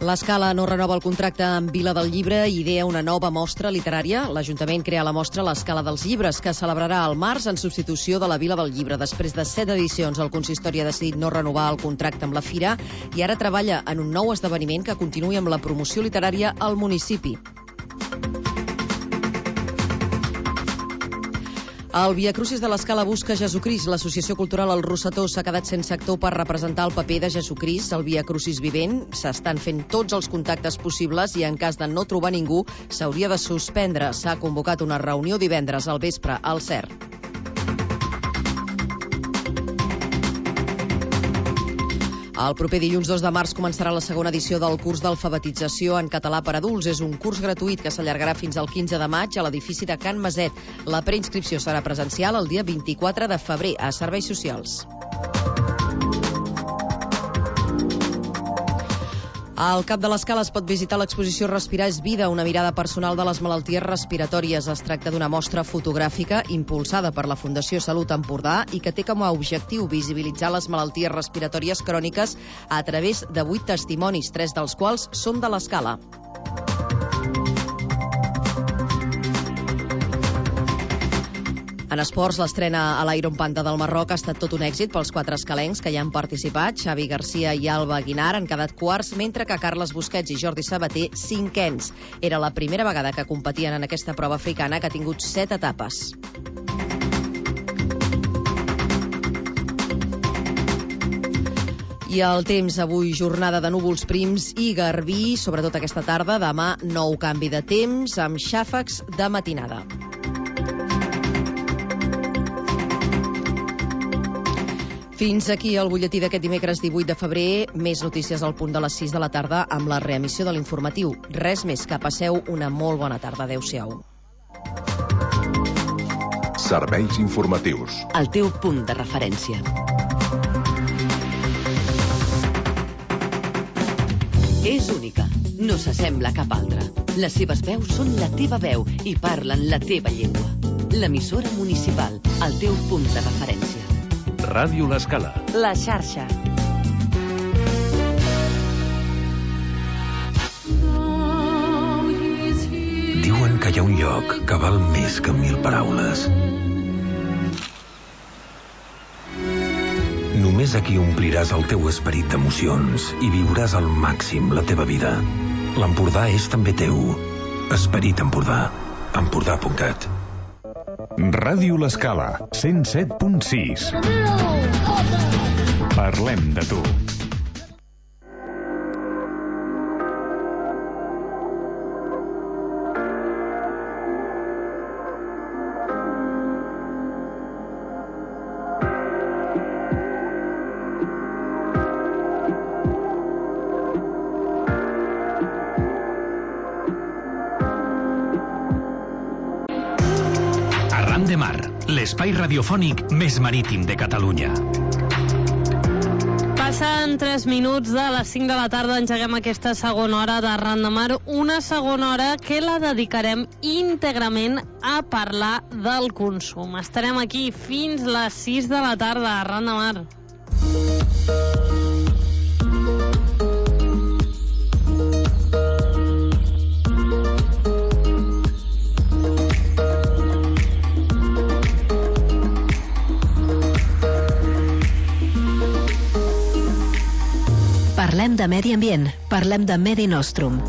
L'Escala no renova el contracte amb Vila del Llibre i idea una nova mostra literària. L'Ajuntament crea la mostra l'Escala dels Llibres, que celebrarà al març en substitució de la Vila del Llibre. Després de 7 edicions, el consistori ha decidit no renovar el contracte amb la fira i ara treballa en un nou esdeveniment que continuï amb la promoció literària al municipi. El Via Crucis de l'Escala busca Jesucrist. L'Associació Cultural El Rossetó s'ha quedat sense actor per representar el paper de Jesucrist al Via Crucis vivent. S'estan fent tots els contactes possibles i en cas de no trobar ningú s'hauria de suspendre. S'ha convocat una reunió divendres al vespre al CERT. El proper dilluns 2 de març començarà la segona edició del curs d'alfabetització en català per adults. És un curs gratuït que s'allargarà fins al 15 de maig a l'edifici de Can Maset. La preinscripció serà presencial el dia 24 de febrer a Serveis Socials. Al Cap de l'Escala es pot visitar l'exposició Respirar és vida, una mirada personal de les malalties respiratòries. Es tracta d'una mostra fotogràfica impulsada per la Fundació Salut Empordà i que té com a objectiu visibilitzar les malalties respiratòries cròniques a través de 8 testimonis, 3 dels quals són de l'Escala. En esports, l'estrena a l'Iron Panda del Marroc ha estat tot un èxit pels 4 escalencs que hi han participat. Xavi Garcia i Alba Aguinar han quedat quarts, mentre que Carles Busquets i Jordi Sabater, cinquens. Era la primera vegada que competien en aquesta prova africana, que ha tingut 7 etapes. I el temps, avui jornada de núvols prims i garbí, sobretot aquesta tarda. Demà, nou canvi de temps amb xàfecs de matinada. Fins aquí el butlletí d'aquest dimecres 18 de febrer. Més notícies al punt de les 6 de la tarda amb la reemissió de l'informatiu. Res més, que passeu una molt bona tarda. Adéu-siau. Serveis informatius. El teu punt de referència. És única. No s'assembla a cap altra. Les seves veus són la teva veu i parlen la teva llengua. L'emissora municipal. El teu punt de referència. Ràdio l'Escala. La xarxa. Diuen que hi ha un lloc que val més que 1000 paraules. Només aquí ompliràs el teu esperit d'emocions i viuràs al màxim la teva vida. L'Empordà és també teu. Esperit Empordà. Empordà.cat. Ràdio l'Escala, 107.6. Parlem de tu. Arran de Mar, l'espai radiofònic més marítim de Catalunya. Passen 3 minuts de les 5 de la tarda, engeguem aquesta segona hora d'Arran de Mar, una segona hora que la dedicarem íntegrament a parlar del consum. Estarem aquí fins les 6 de la tarda, Arran de Mar. Parlem de medi ambient, parlem de Medi Nostrum.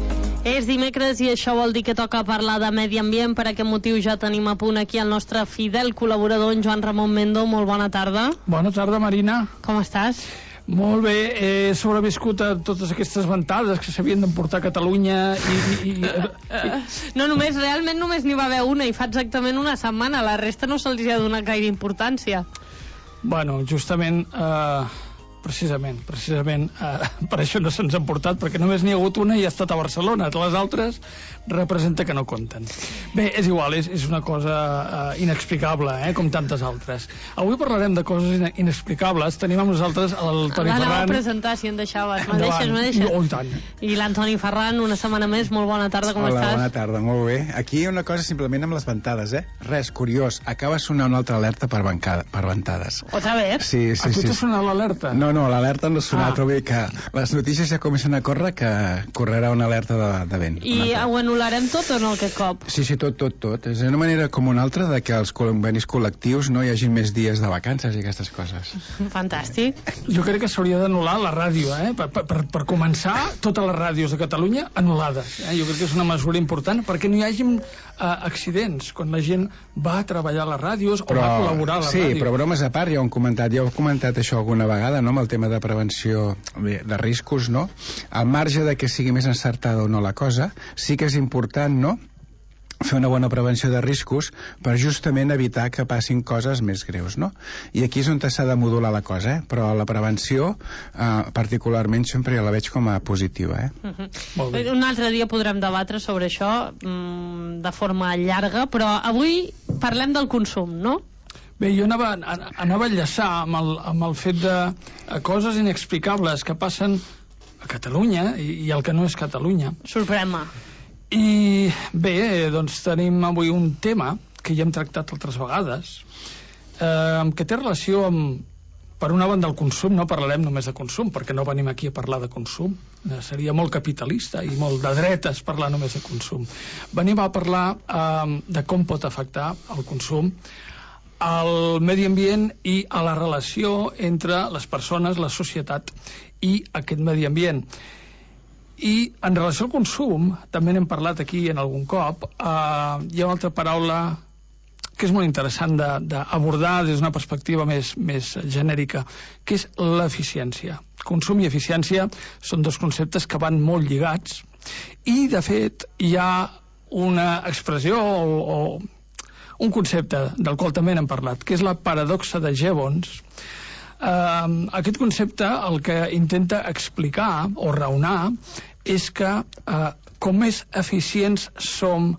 És dimecres i això vol dir que toca parlar de medi ambient. Per aquest motiu ja tenim a punt aquí el nostre fidel col·laborador, en Joan Ramon Mendo. Molt bona tarda. Bona tarda, Marina. Com estàs? Molt bé, he sobreviscut a totes aquestes ventades que s'havien d'emportar a Catalunya No, realment només n'hi va haver una i fa exactament una setmana. La resta no se'ls ha donat gaire importància. Bueno, justament... Precisament, per això no se'ns han portat, perquè només n'hi ha hagut una i ha estat a Barcelona. Les altres representa que no compten. Bé, és igual, és una cosa inexplicable, com tantes altres. Avui parlarem de coses inexplicables. Tenim amb nosaltres el Toni Ferran. L'anava a presentar, si em deixaves. Me deixes? Oh, i tant. I l'Antoni Ferran, una setmana més. Molt bona tarda, com estàs? Hola, bona tarda, molt bé. Aquí una cosa simplement amb les ventades, Res, curiós, acaba de sonar una altra alerta per ventades. Otra vez? Sí. A tu t'ha sonat l'alerta? No, No, l'alerta no ha sonat, però bé que les notícies ja comencen a córrer, que correrà una alerta de vent. I ho anul·larem tot o no aquest cop? Sí, tot. És una manera com una altra de que els convenis col·lectius no hi hagi més dies de vacances i aquestes coses. Fantàstic. Jo crec que s'hauria d'anul·lar la ràdio, per començar, totes les ràdios de Catalunya anul·lades. Jo crec que és una mesura important perquè no hi hagi accidents quan la gent va a treballar a les ràdios o va a col·laborar a la ràdio. Sí, però bromes a part, ja ho heu comentat això alguna vegada, no?, amb el tema de prevenció de riscos, no? Al marge de que sigui més encertada o no la cosa, sí que és important, no?, fer una bona prevenció de riscos per justament evitar que passin coses més greus, no? I aquí és on s'ha de modular la cosa, però la prevenció particularment sempre la veig com a positiva, Un altre dia podrem debatre sobre això de forma llarga, però avui parlem del consum, no? Bé, jo anava a enllaçar amb el fet de coses inexplicables que passen a Catalunya i el que no és Catalunya. Sorprèn-me. I bé, doncs tenim avui un tema que ja hem tractat altres vegades, que té relació amb, per una banda, el consum. No parlarem només de consum, perquè no venim aquí a parlar de consum. Seria molt capitalista i molt de dretes parlar només de consum. Venim a parlar de com pot afectar el consum al medi ambient i a la relació entre les persones, la societat i aquest medi ambient. I en relació al consum, també n'hem parlat aquí en algun cop, hi ha una altra paraula que és molt interessant d'abordar des d'una perspectiva més genèrica, que és l'eficiència. Consum i eficiència són dos conceptes que van molt lligats i, de fet, hi ha una expressió o un concepte del qual també n'hem parlat, que és la paradoxa de Jevons. Aquest concepte el que intenta explicar o raonar és que com més eficients som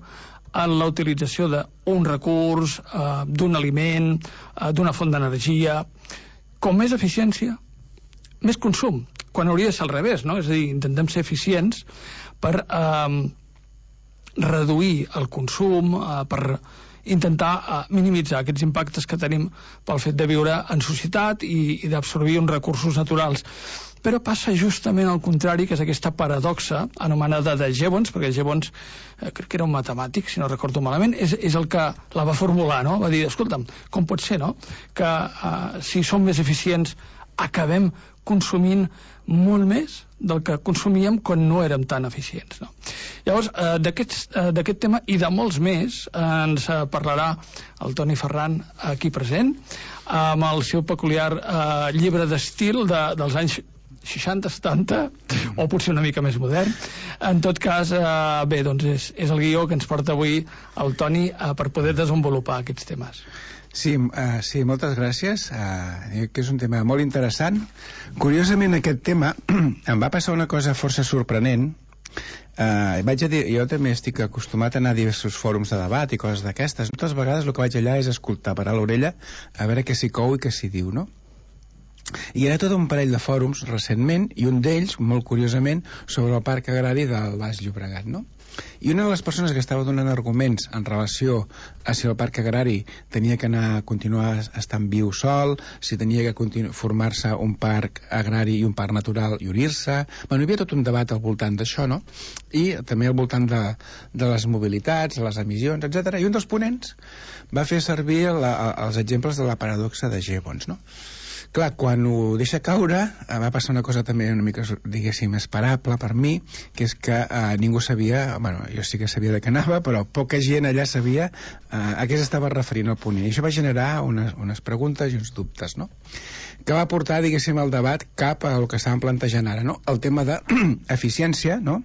en la utilització d'un recurs, d'un aliment, d'una font d'energia, com més eficiència, més consum, quan hauria de ser al revés, no? És a dir, intentem ser eficients per reduir el consum, per intentar minimitzar aquests impactes que tenim pel fet de viure en societat i d'absorbir uns recursos naturals. Però passa justament al contrari, que és aquesta paradoxa anomenada de Jevons, perquè Jevons crec que era un matemàtic, si no recordo malament, és el que la va formular, no? Va dir, escolta'm, com pot ser, no?, que si som més eficients acabem consumint molt més del que consumíem quan no érem tan eficients, no? Llavors, d'aquest tema i de molts més ens parlarà el Toni Ferran, aquí present, amb el seu peculiar llibre d'estil dels anys 60, 70, o potser una mica més modern. En tot cas, bé, doncs és el guió que ens porta avui el Toni per poder desenvolupar aquests temes. Sí, moltes gràcies. Que és un tema molt interessant. Curiosament, aquest tema em va passar una cosa força sorprenent. Vaig a dir, jo també estic acostumat a anar a diversos fòrums de debat i coses d'aquestes. Moltes vegades el que vaig allà és escoltar, parar l'orella, a veure què s'hi cou i què s'hi diu, no? I era tot un parell de fòrums recentment, i un d'ells, molt curiosament, sobre el parc agrari del Baix Llobregat, no? I una de les persones que estava donant arguments en relació a si el parc agrari tenia que anar a continuar estant viu sol, si tenia que formar-se un parc agrari i un parc natural i unir-se. Bueno, hi havia tot un debat al voltant d'això, no? I també al voltant de les mobilitats, les emissions, etc. I un dels ponents va fer servir els exemples de la paradoxa de Jevons, no? Clar, quan ho deixa caure, va passar una cosa també una mica, diguéssim, esperable per mi, que és que ningú sabia, bueno, jo sí que sabia de què anava, però poca gent allà sabia a què s'estava referint el ponent. I això va generar unes preguntes i uns dubtes, no?, que va portar, diguéssim, el debat cap al que estàvem plantejant ara, no?, el tema d'eficiència, no?,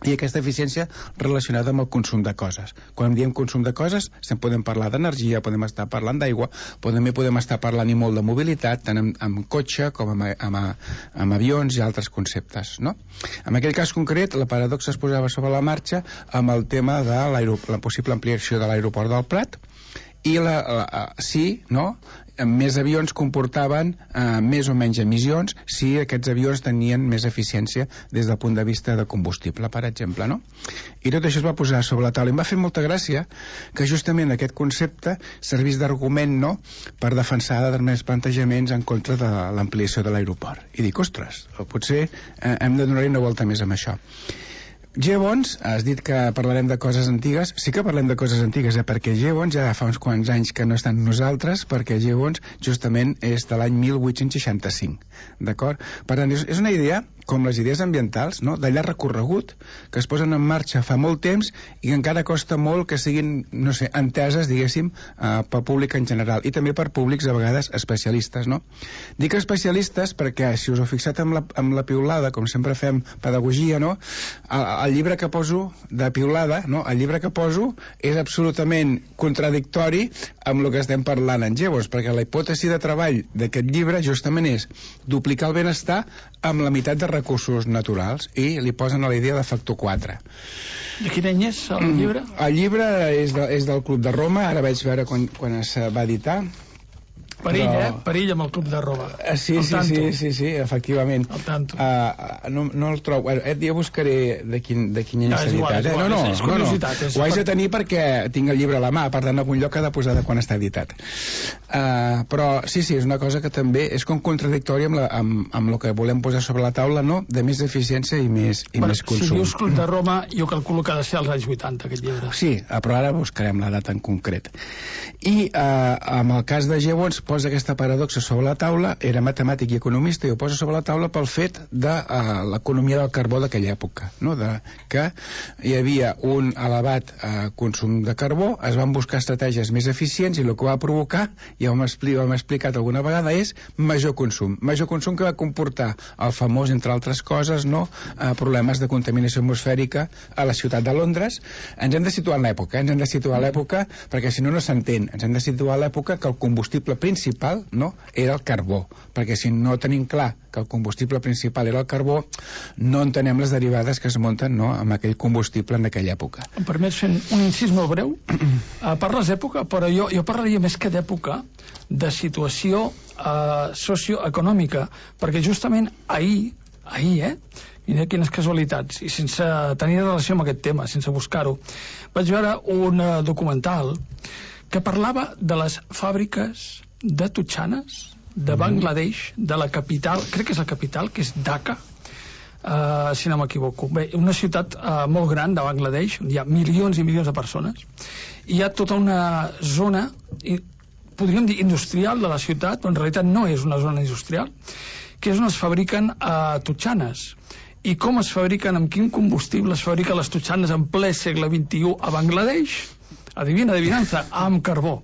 i aquesta eficiència relacionada amb el consum de coses. Quan diem consum de coses, podem parlar d'energia, podem estar parlant d'aigua, també podem estar parlant i molt de mobilitat, tant amb cotxe com amb avions i altres conceptes, no? En aquell cas concret, la paradoxa es posava sobre la marxa amb el tema de la possible ampliació de l'aeroport del Prat i sí, no?, més avions comportaven més o menys emissions si aquests avions tenien més eficiència des del punt de vista de combustible, per exemple, no? I tot això es va posar sobre la taula. I em va fer molta gràcia que justament aquest concepte servís d'argument, no?, per defensar determinats plantejaments en contra de l'ampliació de l'aeroport. I dic, ostres, potser hem de donar-hi una volta més amb això. Gibbons, has dit que parlarem de coses antigues. Sí que parlem de coses antigues, perquè Gibbons ja fa uns quants anys que no està amb nosaltres, perquè Gibbons justament és de l'any 1865, d'acord? Per tant, és una idea, com les idees ambientals, no?, de llarg recorregut, que es posen en marxa fa molt temps i que encara costa molt que siguin, no sé, enteses, diguéssim, pel públic en general, i també per públics a vegades especialistes, no? Dic especialistes perquè, si us heu fixat amb la piulada, com sempre fem pedagogia, no?, el llibre que poso de piulada, no?, el llibre que poso és absolutament contradictori amb el que estem parlant en Gibbons, perquè la hipòtesi de treball d'aquest llibre justament és duplicar el benestar amb la meitat de recursos naturals, i li posen a la idea de factor 4. De quin any és el llibre? El llibre és del Club de Roma, ara vaig veure quan es va editar. Perill, perill amb el Club de Roma. Sí, efectivament. Al tanto. No el trobo. Ja buscaré de quin any s'ha editat. No, ho haig de tenir perquè tinc el llibre a la mà, per tant, algun lloc ha de posar de quan està editat. Però sí, és una cosa que també és com contradictòria amb el que volem posar sobre la taula, no?, de més eficiència i més consum. Si dius Club de Roma, jo calculo que ha de ser als anys 80, aquest llibre. Sí, però ara buscarem la data en concret. I amb el cas de Gibbons posa aquesta paradoxa sobre la taula. Era matemàtic i economista, i ho posa sobre la taula pel fet de l'economia del carbó d'aquella època, no?, que hi havia un elevat consum de carbó, es van buscar estratègies més eficients, i el que va provocar, ja ho hem explicat alguna vegada, és major consum que va comportar el famós, entre altres coses, no?, problemes de contaminació atmosfèrica a la ciutat de Londres. Ens hem de situar en l'època, perquè si no, no s'entén. Ens hem de situar a l'època que el combustible principal, no?, era el carbó, perquè si no tenim clar que el combustible principal era el carbó, no entenem les derivades que es munten, no?, amb aquell combustible en aquella època. Em permets fer un incís molt breu? Parles d'època, però jo parlaria més que d'època de situació socioeconòmica, perquè justament ahir, mira quines casualitats, i sense tenir relació amb aquest tema, sense buscar-ho, vaig veure un documental que parlava de les fàbriques de totxanes de Bangladesh, de la capital, crec que és la capital, que és Dhaka, si no m'equivoco. Bé, una ciutat molt gran de Bangladesh, on hi ha milions i milions de persones, i hi ha tota una zona, podríem dir industrial de la ciutat, però en realitat no és una zona industrial, que és on es fabriquen totxanes. I com es fabriquen, amb quin combustible es fabriquen les totxanes en ple segle XXI a Bangladesh? Adivinança, amb carbó.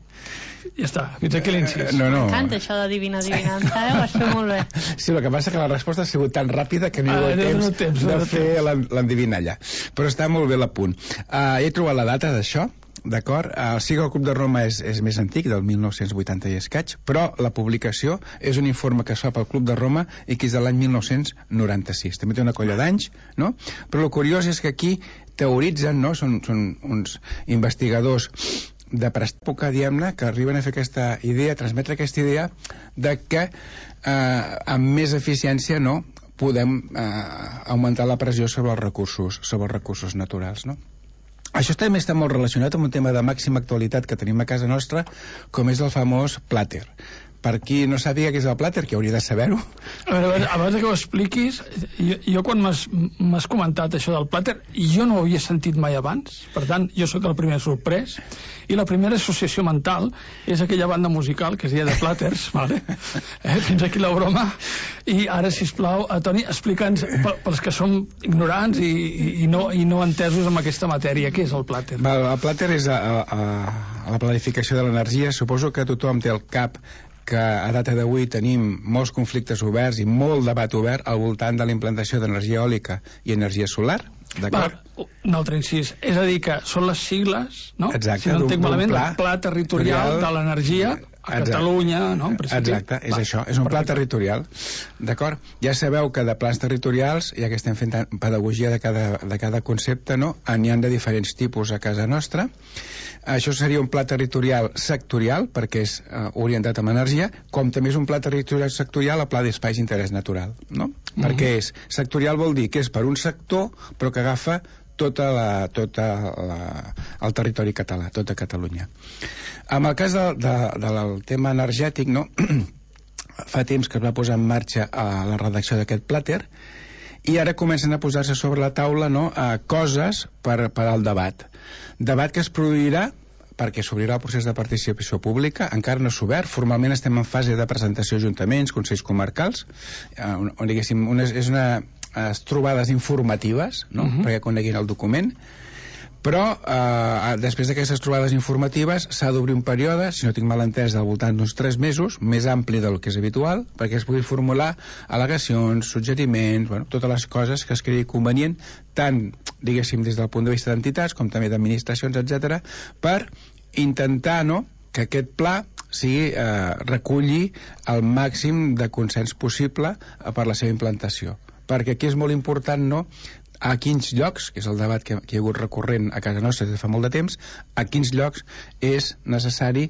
Ja està, fins aquí l'incís. M'encanta això d'adivinança, ho has fet molt bé. Sí, el que passa que la resposta ha sigut tan ràpida que no hi ha temps de fer l'endevinalla. Però està molt bé l'apunt. He trobat la data d'això, d'acord? Sí que el Club de Roma és més antic, del 1980 i escaig, però la publicació és un informe que es fa pel Club de Roma i que és de l'any 1996. També té una colla d'anys, no? Però el curiós és que aquí teoritzen, no?, són uns investigadors de prèpoca, diguem-ne, que arriben a fer aquesta idea, a transmetre aquesta idea de que amb més eficiència, no?, podem augmentar la pressió sobre els recursos naturals, no? Això també està molt relacionat amb un tema de màxima actualitat que tenim a casa nostra, com és el famós plàter. Per qui no sàpiga què és el plàter, que hauria de saber-ho. A veure, abans que ho expliquis, jo quan m'has comentat això del plàter, jo no ho havia sentit mai abans, per tant, jo sóc el primer sorprès, i la primera associació mental és aquella banda musical que es deia The Platters, vale? Fins aquí la broma, i ara, sisplau, Toni, explica'ns, pels que som ignorants i no entesos amb aquesta matèria, què és el plàter? El plàter és la planificació de l'energia. Suposo que tothom té al cap que a data d'avui tenim molts conflictes oberts i molt debat obert al voltant de la implantació d'energia eòlica i energia solar, d'acord? Un altre incís, és a dir que són les sigles, no? Exacte, si no entenc malament, el pla territorial de l'energia a Catalunya, no? Exacte, és això, és un pla territorial, d'acord? Ja sabeu que de plans territorials, ja que estem fent pedagogia de cada concepte, no? N'hi ha de diferents tipus a casa nostra. Això seria un pla territorial sectorial, perquè és orientat amb energia, com també és un pla territorial sectorial el pla d'espais d'interès natural, no? Perquè és sectorial vol dir que és per un sector, però que agafa tot el territori català, tota Catalunya. En el cas del tema energètic, no? Fa temps que es va posar en marxa la redacció d'aquest plàter i ara comencen a posar-se sobre la taula, no? Coses per al debat que es produirà perquè s'obrirà el procés de participació pública, encara no s'ha obert, formalment estem en fase de presentació a ajuntaments, consells comarcals, on diguéssim, és unes trobades informatives, no? Perquè coneguin el document, però després d'aquestes trobades informatives s'ha d'obrir un període, si no tinc mal entès, al voltant d'uns 3 mesos, més ampli del que és habitual, perquè es pugui formular al·legacions, suggeriments, totes les coses que es cregui convenient, tant, diguéssim, des del punt de vista d'entitats com també d'administracions, etc., per intentar, no?, que aquest pla reculli el màxim de consens possible per la seva implantació. Perquè aquí és molt important, no?, a quins llocs, que és el debat que hi ha hagut recurrent a casa nostra des de fa molt de temps, a quins llocs és necessari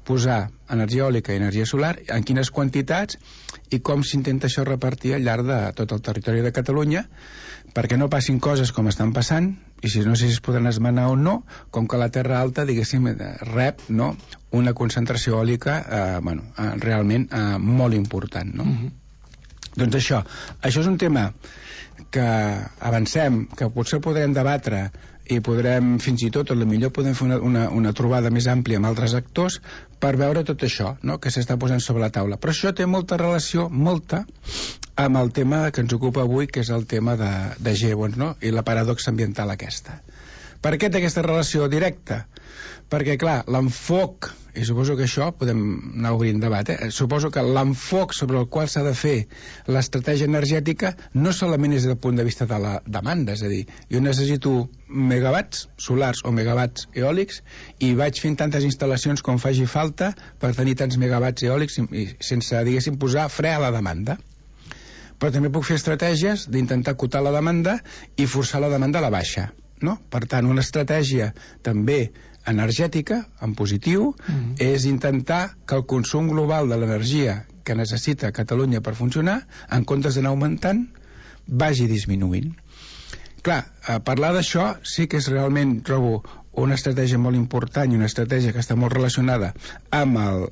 posar energia eòlica i energia solar, en quines quantitats i com s'intenta això repartir al llarg de tot el territori de Catalunya, perquè no passin coses com estan passant, i si no sé si es podran esmenar o no, com que la Terra Alta, diguéssim, rep, no?, una concentració eòlica realment molt important, no? Doncs això és un tema que avancem, que potser podrem debatre i podrem, fins i tot, potser podem fer una trobada més àmplia amb altres actors per veure tot això, no?, que s'està posant sobre la taula. Però això té molta relació, amb el tema que ens ocupa avui, que és el tema de Gibbons, no?, i la paradoxa ambiental aquesta. Per què té aquesta relació directa? Perquè, clar, l'enfoc, i suposo que això podem anar obrint debat, suposo que l'enfoc sobre el qual s'ha de fer l'estratègia energètica no solament és des del punt de vista de la demanda, és a dir, jo necessito megawatts solars o megawatts eòlics i vaig fent tantes instal·lacions com faci falta per tenir tants megawatts eòlics i sense, diguéssim, posar fre a la demanda. Però també puc fer estratègies d'intentar acotar la demanda i forçar la demanda a la baixa, no? Per tant, una estratègia també energètica, en positiu, és intentar que el consum global de l'energia que necessita Catalunya per funcionar, en comptes d'anar augmentant, vagi disminuint. Clar, parlar d'això sí que és realment, trobo, una estratègia molt important i una estratègia que està molt relacionada amb el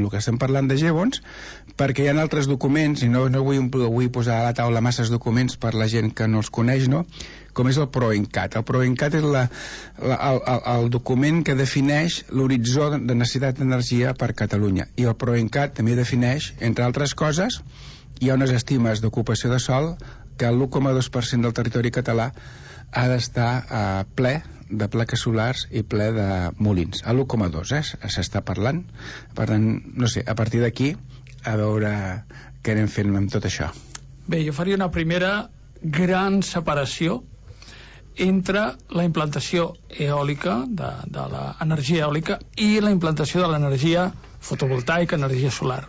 que estem parlant de Gibbons, perquè hi ha altres documents, i no vull posar a la taula masses documents per la gent que no els coneix, no?, com és el PROENCAT. El PROENCAT és el document que defineix l'horitzó de necessitat d'energia per Catalunya. I el PROENCAT també defineix, entre altres coses, hi ha unes estimes d'ocupació de sòl que l'1,2% del territori català ha d'estar ple de plaques solars i ple de molins. A l'1,2, s'està parlant. Per tant, no sé, a partir d'aquí, a veure què anem fent amb tot això. Bé, jo faria una primera gran separació entre la implantació eòlica, de l'energia eòlica, i la implantació de l'energia fotovoltaica, energia solar.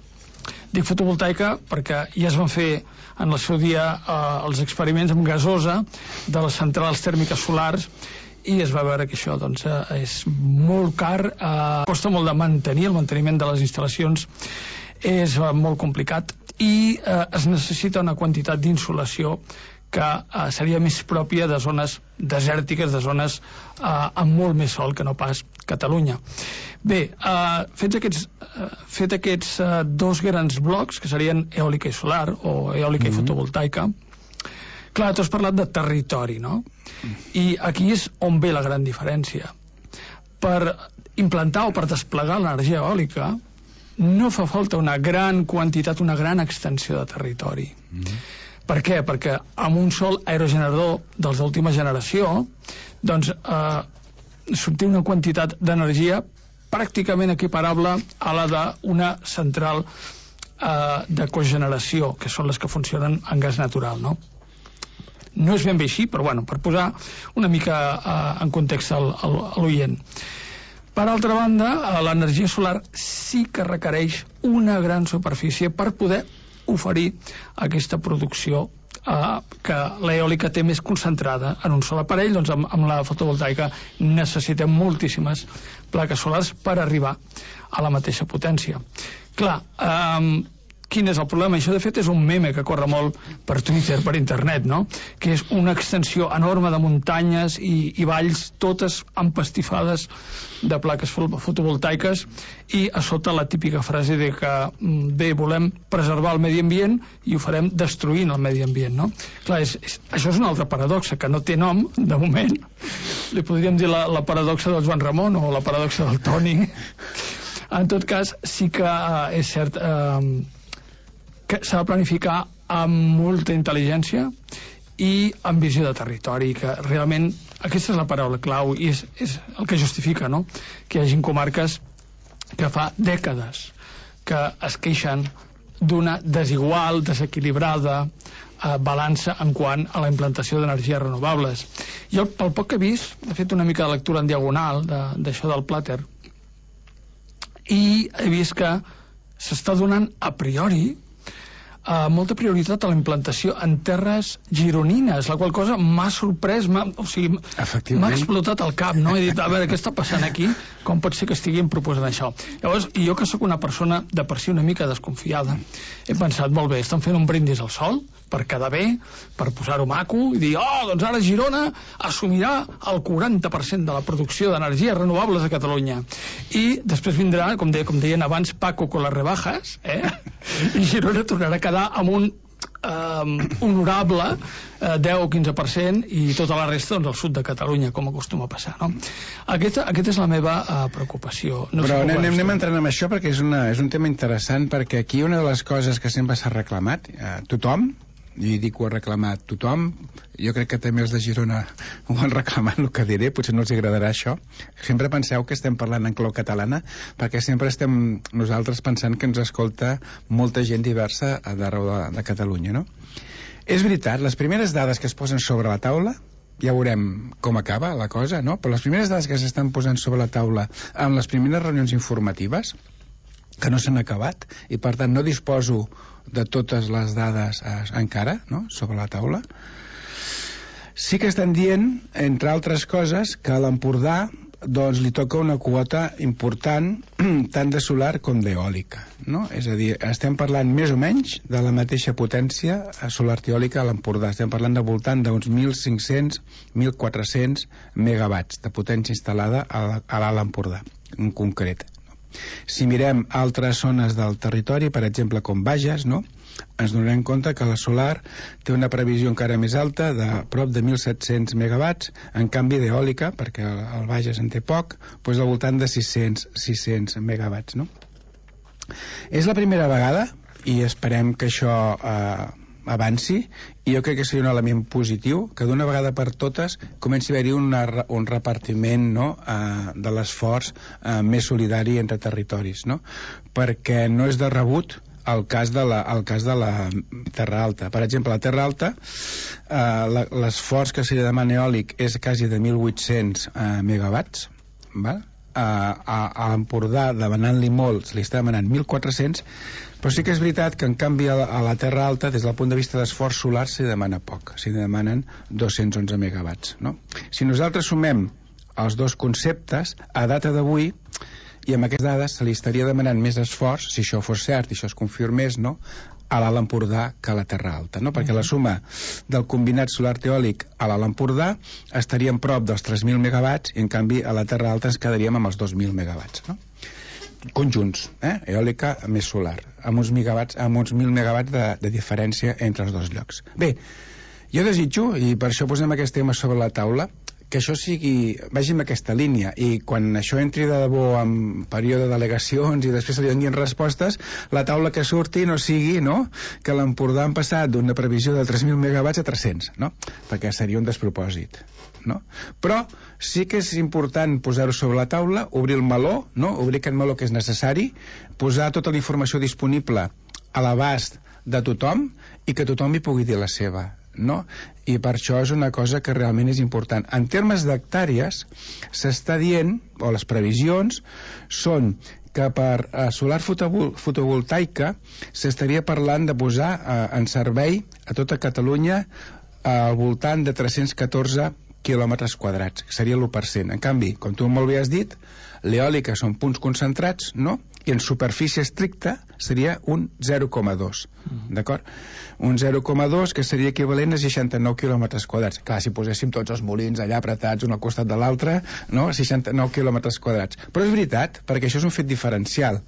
Dic fotovoltaica perquè ja es van fer en el seu dia els experiments amb gasosa de les centrals tèrmiques solars i es va veure que això és molt car, costa molt de mantenir, el manteniment de les instal·lacions és molt complicat i es necessita una quantitat d'insolació que seria més pròpia de zones desèrtiques, de zones amb molt més sol que no pas Catalunya. Bé, fet aquests dos grans blocs, que serien eòlica i solar, o eòlica i fotovoltaica, clar, tu has parlat de territori, no? I aquí és on ve la gran diferència. Per implantar o per desplegar l'energia eòlica no fa falta una gran quantitat, una gran extensió de territori. Per què? Perquè amb un sol aerogenerador dels d'última generació s'obté una quantitat d'energia pràcticament equiparable a la d'una central de cogeneració, que són les que funcionen en gas natural, no? No és ben bé així, però bueno, per posar una mica en context a l'oient. Per altra banda, l'energia solar sí que requereix una gran superfície per poder oferir aquesta producció que l'eòlica té més concentrada en un sol aparell. Doncs amb la fotovoltaica necessitem moltíssimes plaques solars per arribar a la mateixa potència. Clar, quin és el problema? Això de fet és un meme que corre molt per Twitter, per internet, no? Que és una extensió enorme de muntanyes i valls, totes empastifades de plaques fotovoltaiques, i a sota la típica frase de que bé, volem preservar el medi ambient i ho farem destruint el medi ambient, no? Clar, això és una altra paradoxa que no té nom, de moment. Li podríem dir la paradoxa del Joan Ramon o la paradoxa del Toni. En tot cas, sí que és cert que s'ha de planificar amb molta intel·ligència i amb visió de territori, que realment aquesta és la paraula clau i és el que justifica, no?, que hi hagi comarques que fa dècades que es queixen d'una desigual, desequilibrada balança en quant a la implantació d'energies renovables. Jo, pel poc que he vist, he fet una mica de lectura en diagonal d'això del Plater, i he vist que s'està donant a priori molta prioritat a la implantació en terres gironines, la qual cosa m'ha sorprès, m'ha explotat el cap, no? He dit, a veure, què està passant aquí? Com pot ser que estiguin proposant això? Llavors, jo que sóc una persona de per si una mica desconfiada, he pensat, molt bé, estan fent un brindis al sol per quedar bé, per posar-ho maco i dir, doncs ara Girona assumirà el 40% de la producció d'energies renovables a Catalunya. I després vindrà, com deien abans, Paco con las rebajas, i Girona tornarà a quedar amb un honorable 10 o 15% i tota la resta doncs al sud de Catalunya, com acostuma a passar, no? Aquesta és la meva preocupació. Però anem entrant en això perquè és un tema interessant, perquè aquí una de les coses que sempre s'ha reclamat tothom, i dic ho ha reclamat tothom, jo crec que també els de Girona ho han reclamat, el que diré, potser no els agradarà això. Sempre penseu que estem parlant en clau catalana, perquè sempre estem nosaltres pensant que ens escolta molta gent diversa d'arreu de Catalunya, no? És veritat, les primeres dades que es posen sobre la taula, ja veurem com acaba la cosa, no? Però les primeres dades que s'estan posant sobre la taula amb les primeres reunions informatives, que no s'han acabat, i per tant no disposo de totes les dades encara, no?, sobre la taula. Sí que estan dient, entre altres coses, que a l'Empordà doncs li toca una quota important tant de solar com d'eòlica, no? És a dir, estem parlant més o menys de la mateixa potència solar eòlica a l'Empordà. Estem parlant de voltant d'uns 1.500, 1.400 megawatts de potència instal·lada a l'Alt Empordà, en concret. Si mirem altres zones del territori, per exemple com Bages, no?, ens donarem compte que la solar té una previsió encara més alta, de prop de 1.700 megawatts, en canvi d'eòlica, perquè el Bages en té poc, doncs al voltant de 600 megawatts, no? És la primera vegada, i esperem que això avanci, i jo crec que seria un element positiu que d'una vegada per totes comenci a haver-hi un repartiment, no?, de l'esforç més solidari entre territoris, no? Perquè no és de rebut el cas de la Terra Alta. Per exemple, a la Terra Alta l'esforç que se li demana eòlic és quasi de 1.800 megawatts, val? A l'Empordà, demanant-li molt, se li està demanant 1.400, però sí que és veritat que en canvi a la Terra Alta, des del punt de vista d'esforç solar, s'hi demana poc, s'hi demanen 211 megawatts, no? Si nosaltres sumem els dos conceptes, a data d'avui, i amb aquestes dades se li estaria demanant més esforç, si això fos cert i això es confirmés, no?, a l'Alt Empordà que a la Terra Alta, no? Perquè la suma del combinat solar eòlic a l'Alt Empordà estaríem prop dels 3.000 megawatts i en canvi a la Terra Alta ens quedaríem amb els 2.000 megawatts, no? Conjunts, eòlica més solar, amb uns 1.000 megawatts de diferència entre els dos llocs. Bé, jo desitjo, i per això posem aquest tema sobre la taula, que això vagi en aquesta línia, i quan això entri de debò en període d'al·legacions i després se li donin respostes, la taula que surti no sigui, no?, que l'Empordà han passat d'una previsió de 3.000 megawatts a 300, no?, perquè seria un despropòsit, no? Però sí que és important posar-ho sobre la taula, obrir el meló, no?, obrir aquest meló que és necessari, posar tota la informació disponible a l'abast de tothom i que tothom hi pugui dir la seva. no? I per això és una cosa que realment és important. En termes d'hectàrees, s'està dient, o les previsions, són que per solar fotovoltaica s'estaria parlant de posar en servei a tota Catalunya al voltant de 314 quilòmetres quadrats, que seria l'1%. En canvi, com tu molt bé has dit, l'eòlica són punts concentrats, no? I en superfície estricta seria un 0,2, d'acord? Un 0,2 que seria equivalent a 69 quilòmetres quadrats. Clar, si poséssim tots els molins allà apretats un al costat de l'altre, no? 69 quilòmetres quadrats. Però és veritat, perquè això és un fet diferencial.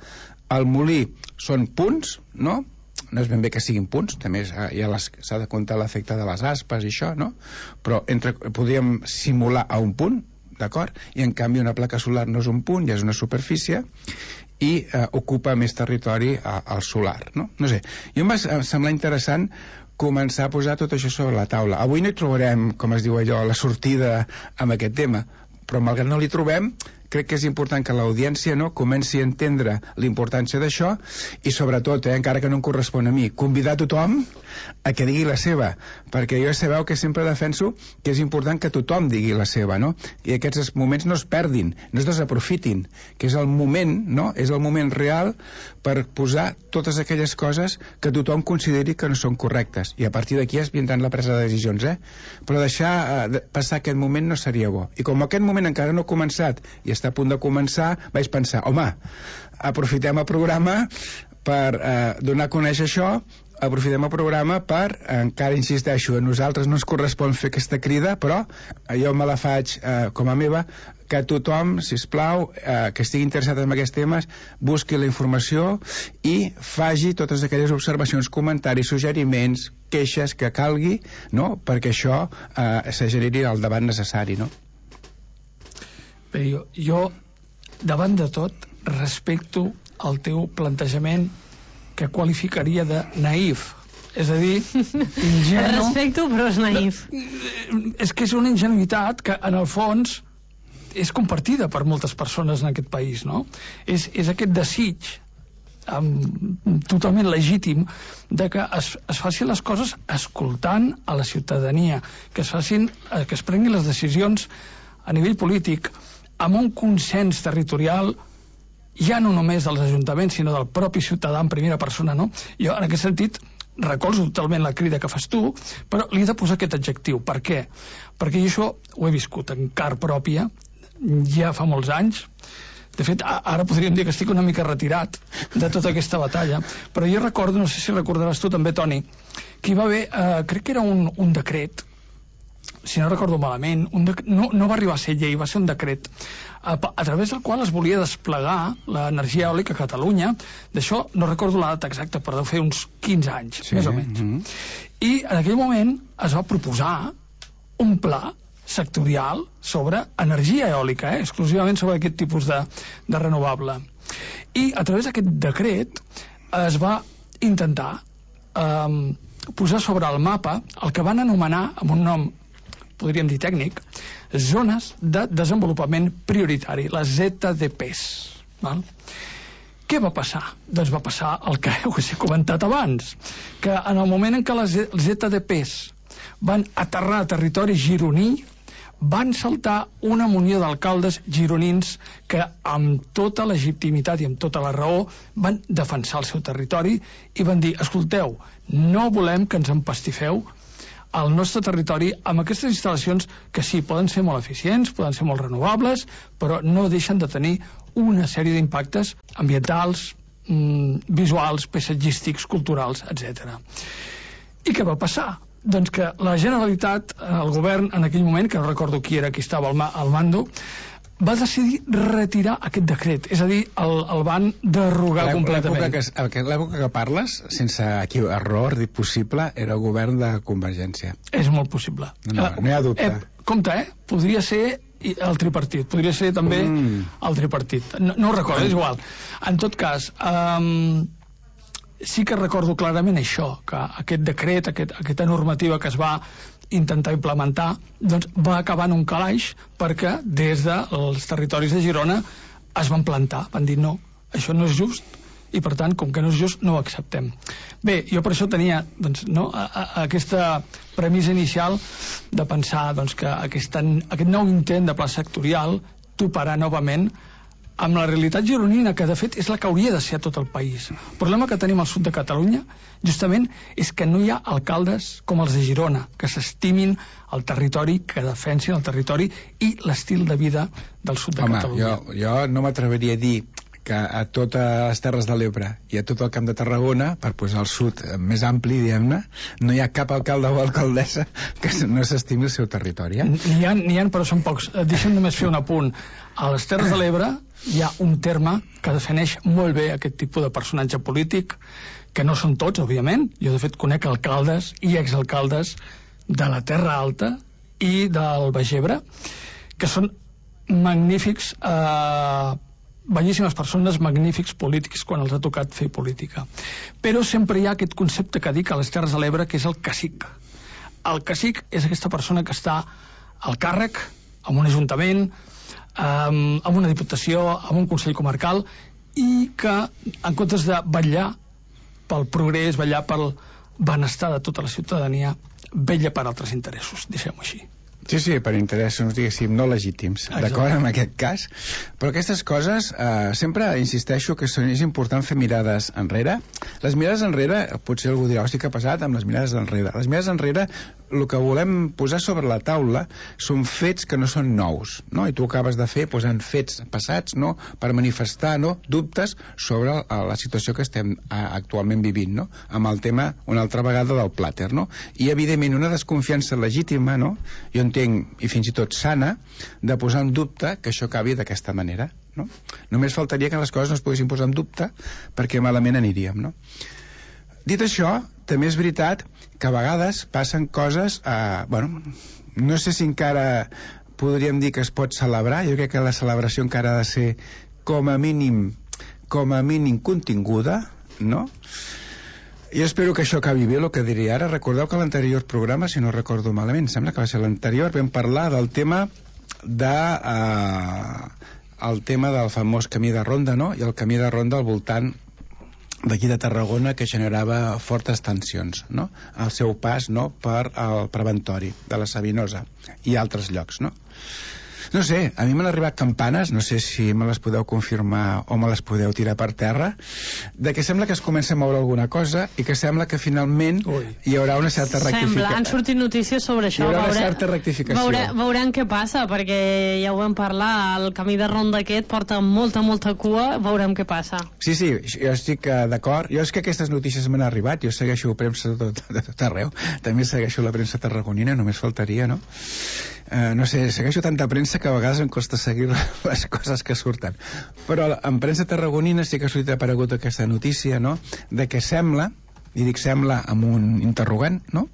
El molí són punts, no? No és ben bé que siguin punts, també s'ha de comptar l'efecte de les aspes i això, no? Però podríem simular a un punt, d'acord? I en canvi una placa solar no és un punt, ja és una superfície i ocupa més territori al solar, no? No sé, jo em va semblar interessant començar a posar tot això sobre la taula. Avui no hi trobarem, com es diu allò, la sortida amb aquest tema, però malgrat no l'hi trobem, crec que és important que l'audiència, no, comenci a entendre l'importància d'això i sobretot, encara que no em correspon a mi, convidar tothom a que digui la seva, perquè jo sabeu que sempre defenso que és important que tothom digui la seva, no? I aquests moments no es perdin, no es desaprofitin, que és el moment, no? És el moment real per posar totes aquelles coses que tothom consideri que no són correctes, i a partir d'aquí es vindran la presa de decisions, però deixar passar aquest moment no seria bo. I com aquest moment encara no ha començat i està a punt de començar, vaig pensar, home, aprofitem el programa per donar a conèixer això, aprofitem el programa per, encara insisteixo, a nosaltres no ens correspon fer aquesta crida, però jo me la faig com a meva, que tothom, sisplau, que estigui interessat en aquests temes, busqui la informació i faci totes aquelles observacions, comentaris, suggeriments, queixes que calgui, no?, perquè això se generi el debat necessari, no? Bé, jo, davant de tot, respecto el teu plantejament que qualificaria de naïf. És a dir, ingenu... Respecto, però és naïf. És que és una ingenuïtat que, en el fons, és compartida per moltes persones en aquest país, no? És aquest desig totalment legítim de que es facin les coses escoltant a la ciutadania, que es prenguin les decisions a nivell polític amb un consens territorial, ja no només dels ajuntaments, sinó del propi ciutadà en primera persona, no? Jo, en aquest sentit, recolzo totalment la crida que fas tu, però li he de posar aquest adjectiu. Per què? Perquè jo això ho he viscut en carn pròpia, ja fa molts anys. De fet, ara podríem dir que estic una mica retirat de tota aquesta batalla, però jo recordo, no sé si recordaràs tu també, Toni, que hi va haver, crec que era un decret, si no recordo malament, no va arribar a ser llei, va ser un decret, a través del qual es volia desplegar l'energia eòlica a Catalunya. D'això no recordo la data exacta, però deu fer uns 15 anys, sí, més o menys. I en aquell moment es va proposar un pla sectorial sobre energia eòlica, exclusivament sobre aquest tipus de renovable. I a través d'aquest decret es va intentar posar sobre el mapa el que van anomenar, amb un nom podríem dir tècnic, zones de desenvolupament prioritari, les ZDPs. Val? Què va passar? Doncs va passar el que us he comentat abans, que en el moment en què les ZDPs van aterrar a territori gironí, van saltar una munió d'alcaldes gironins que amb tota legitimitat i amb tota la raó van defensar el seu territori i van dir, escolteu, no volem que ens empastifeu al nostre territori amb aquestes instal·lacions que sí, poden ser molt eficients, poden ser molt renovables, però no deixen de tenir una sèrie d'impactes ambientals, visuals, paisatgístics, culturals, etc. I què va passar? Doncs que la Generalitat, el govern en aquell moment, que no recordo qui era qui estava al mando, va decidir retirar aquest decret, és a dir, el van derogar completament. L'època que parles, sense error possible, era el govern de Convergència. És molt possible. No hi ha dubte. Compte, podria ser el tripartit, podria ser també el tripartit. No ho recordo, és igual. En tot cas, sí que recordo clarament això, que aquest decret, aquesta normativa que es va intentar implementar, doncs va acabar en un calaix perquè des dels territoris de Girona es van plantar, van dir no, això no és just i per tant, com que no és just, no ho acceptem. Bé, jo per això tenia aquesta premissa inicial de pensar que aquest nou intent de pla sectorial toparà novament amb la realitat gironina, que de fet és la que hauria de ser a tot el país. El problema que tenim al sud de Catalunya justament és que no hi ha alcaldes com els de Girona, que s'estimin el territori, que defensin el territori i l'estil de vida del sud de Catalunya. Jo no m'atreveria a dir que a totes les Terres de l'Ebre i a tot el Camp de Tarragona, per posar el sud més ampli, diguem-ne, no hi ha cap alcalde o alcaldessa que no s'estimi el seu territori. N'hi ha, però són pocs. Deixa'm només fer un apunt. A les Terres de l'Ebre hi ha un terme que defineix molt bé aquest tipus de personatge polític, que no són tots, òbviament. Jo, de fet, conec alcaldes i exalcaldes de la Terra Alta i del Baix Ebre, que són magnífics, bellíssimes persones, magnífics polítics quan els ha tocat fer política. Però sempre hi ha aquest concepte que dic a les Terres de l'Ebre, que és el cacic. El cacic és aquesta persona que està al càrrec, en un ajuntament, amb una diputació, amb un consell comarcal, i que, en comptes de vetllar pel progrés, vetllar pel benestar de tota la ciutadania, vetlla per altres interessos, deixem-ho així. Sí, per interessos, diguéssim, no legítims, d'acord amb aquest cas. Però aquestes coses, sempre insisteixo que és important fer mirades enrere. Les mirades enrere, potser algú dirà, hosti, què ha passat amb les mirades enrere? Les mirades enrere, el que volem posar sobre la taula són fets que no són nous, no? I tu acabes de fer posant fets passats, no?, per manifestar, no?, dubtes sobre la situació que estem actualment vivint, no?, amb el tema una altra vegada del plàter, no? I evidentment una desconfiança legítima, no?, jo entenc, i fins i tot sana, de posar en dubte que això acabi d'aquesta manera, no? Només faltaria que les coses no es poguessin posar en dubte, perquè malament aniríem, no? Dit això, també és veritat que a vegades passen coses, no sé si encara podríem dir que es pot celebrar. Jo crec que la celebració encara ha de ser com a mínim continguda, no? Jo espero que això acabi bé, el que diria ara. Recordeu que a l'anterior programa, si no recordo malament, sembla que va ser l'anterior, vam parlar del tema del famós camí de ronda, no?, i el camí de ronda al voltant d'aquí de Tarragona, que generava fortes tensions, no?, al seu pas, no?, per al preventori de la Sabinosa i altres llocs, no? No sé, a mi m'han arribat campanes, no sé si me les podeu confirmar o me les podeu tirar per terra, de que sembla que es comença a moure alguna cosa i que sembla que finalment hi haurà una certa rectificació. Han sortit notícies sobre això. Hi haurà una certa rectificació. Veurem què passa, perquè ja ho vam parlar, el camí de ronda aquest porta molta cua, veurem què passa. Sí, jo estic d'acord. Jo és que aquestes notícies m'han arribat, jo segueixo premsa de tot arreu, també segueixo la premsa tarragonina, només faltaria, no? No sé, segueixo tanta premsa que a vegades em costa seguir les coses que surten, però en premsa tarragonina sí que ha aparegut aquesta notícia, no?, de que sembla, i dic sembla amb un interrogant, no?,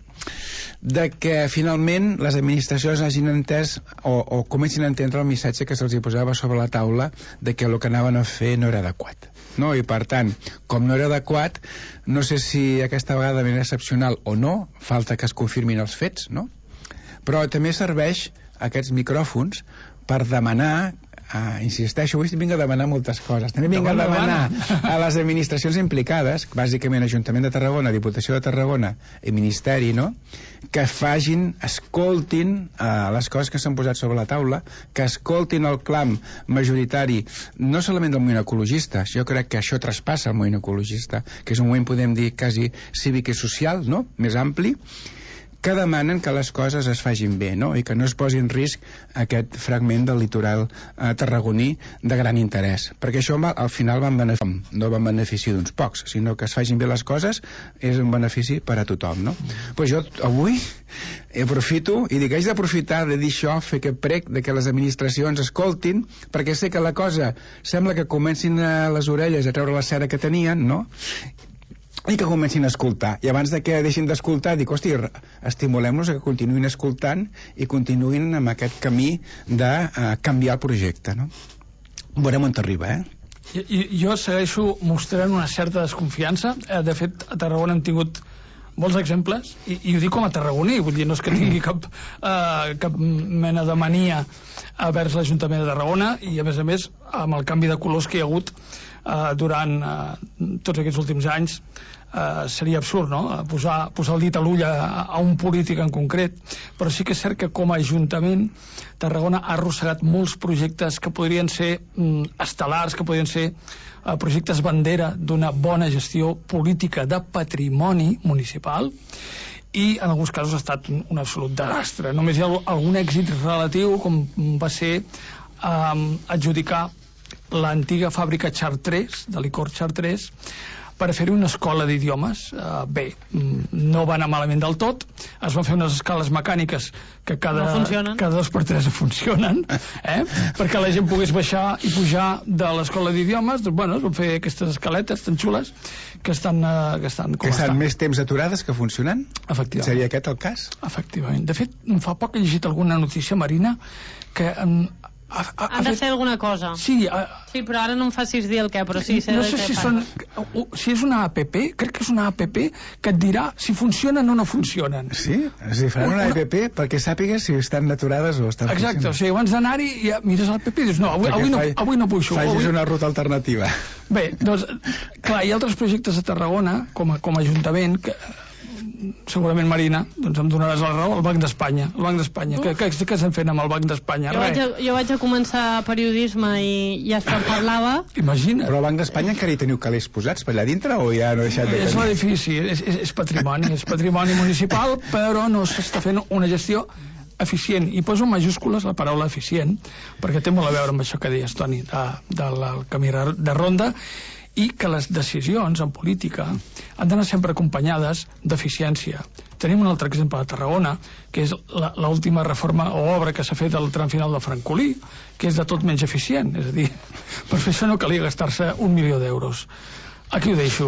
de que finalment les administracions hagin entès o comencin a entendre el missatge que se'ls posava sobre la taula de que el que anaven a fer no era adequat, no? I per tant, com no era adequat, no sé si aquesta vegada de manera excepcional o no, falta que es confirmin els fets, no?, però també serveix aquests micròfons per demanar, insisteixo, avui vinc a demanar moltes coses, també vinc a demanar a les administracions implicades, bàsicament Ajuntament de Tarragona, Diputació de Tarragona i Ministeri, no?, que escoltin les coses que s'han posat sobre la taula, que escoltin el clam majoritari, no solament del moviment ecologista, jo crec que això traspassa el moviment ecologista, que és un moviment, podem dir, quasi cívic i social, no?, més ampli, que demanen que les coses es facin bé, no?, i que no es posi en risc aquest fragment del litoral tarragoní de gran interès, perquè això al final no va en benefici d'uns pocs, sinó que es facin bé les coses és un benefici per a tothom, no? Pues jo avui aprofito i dic, haig d'aprofitar de dir això, fer aquest prec de que les administracions escoltin, perquè sé que la cosa sembla que comencin a les orelles a treure la cera que tenien, no?, i que comencin a escoltar, i abans de que deixin d'escoltar dic, hosti, estimulem-los a que continuïn escoltant i continuïn amb aquest camí de canviar el projecte, no? Veurem on t'arriba, Jo segueixo mostrant una certa desconfiança. De fet, a Tarragona hem tingut molts exemples, i ho dic com a tarragoní, vull dir, no és que tingui cap mena de mania vers l'Ajuntament de Tarragona, i a més amb el canvi de colors que hi ha hagut durant tots aquests últims anys, seria absurd, no?, posar el dit a l'ull a un polític en concret, però sí que és cert que com a Ajuntament Tarragona ha arrossegat molts projectes que podrien ser estel·lars, que podrien ser projectes bandera d'una bona gestió política de patrimoni municipal, i en alguns casos ha estat un absolut desastre. Només hi ha algun èxit relatiu, com va ser adjudicar l'antiga fàbrica Chartres, de licor Chartres, per fer-hi una escola d'idiomes. Bé, no va anar malament del tot, es van fer unes escales mecàniques que cada 2 per 3 funcionen, perquè la gent pogués baixar i pujar de l'escola d'idiomes. Doncs bueno, es van fer aquestes escaletes tan xules que estan més temps aturades que funcionant? Efectivament. Seria aquest el cas? Efectivament. De fet, fa poc he llegit alguna notícia, Marina, que han de fer alguna cosa. Sí, però ara no em facis dir el què, però sí, no sé si és una app, crec que és una app que et dirà si funcionen o no funcionen. Sí? És a dir, faran una app perquè sàpigues si estan aturades o estan funcionant. Exacte, o sigui, abans d'anar-hi ja mires l'app i dius, no, avui no puixo. Facis una ruta alternativa. Bé, doncs, clar, hi ha altres projectes a Tarragona, com a Ajuntament, que segurament, Marina, doncs em donaràs la raó, el Banc d'Espanya. Què estem fent amb el Banc d'Espanya? Jo vaig a començar periodisme i ja se'n parlava. Imagina. Però el Banc d'Espanya encara hi teniu calés posats per allà dintre o ja no ha deixat de tenir? És l'edifici, és patrimoni municipal, però no s'està fent una gestió eficient, i poso en majúscules la paraula eficient, perquè té molt a veure amb això que deies, Toni, del camí de ronda, i que les decisions en política han d'anar sempre acompanyades d'eficiència. Tenim un altre exemple a Tarragona, que és l'última reforma o obra que s'ha fet al tram final de Francolí, que és de tot menys eficient. És a dir, per fer això no calia gastar-se 1 milió d'euros. Aquí ho deixo.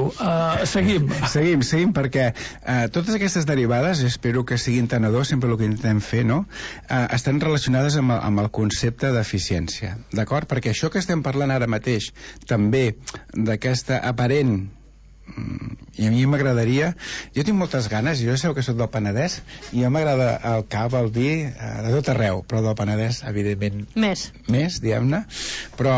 Seguim, perquè totes aquestes derivades, espero que siguin tenedors, sempre el que intentem fer, no?, estan relacionades amb el concepte d'eficiència, d'acord? Perquè això que estem parlant ara mateix, també d'aquesta aparent, i a mi m'agradaria, jo tinc moltes ganes, jo sé que soc del Penedès, i a mi m'agrada el cava, el vi, de tot arreu, però del Penedès, evidentment, més, diguem-ne, però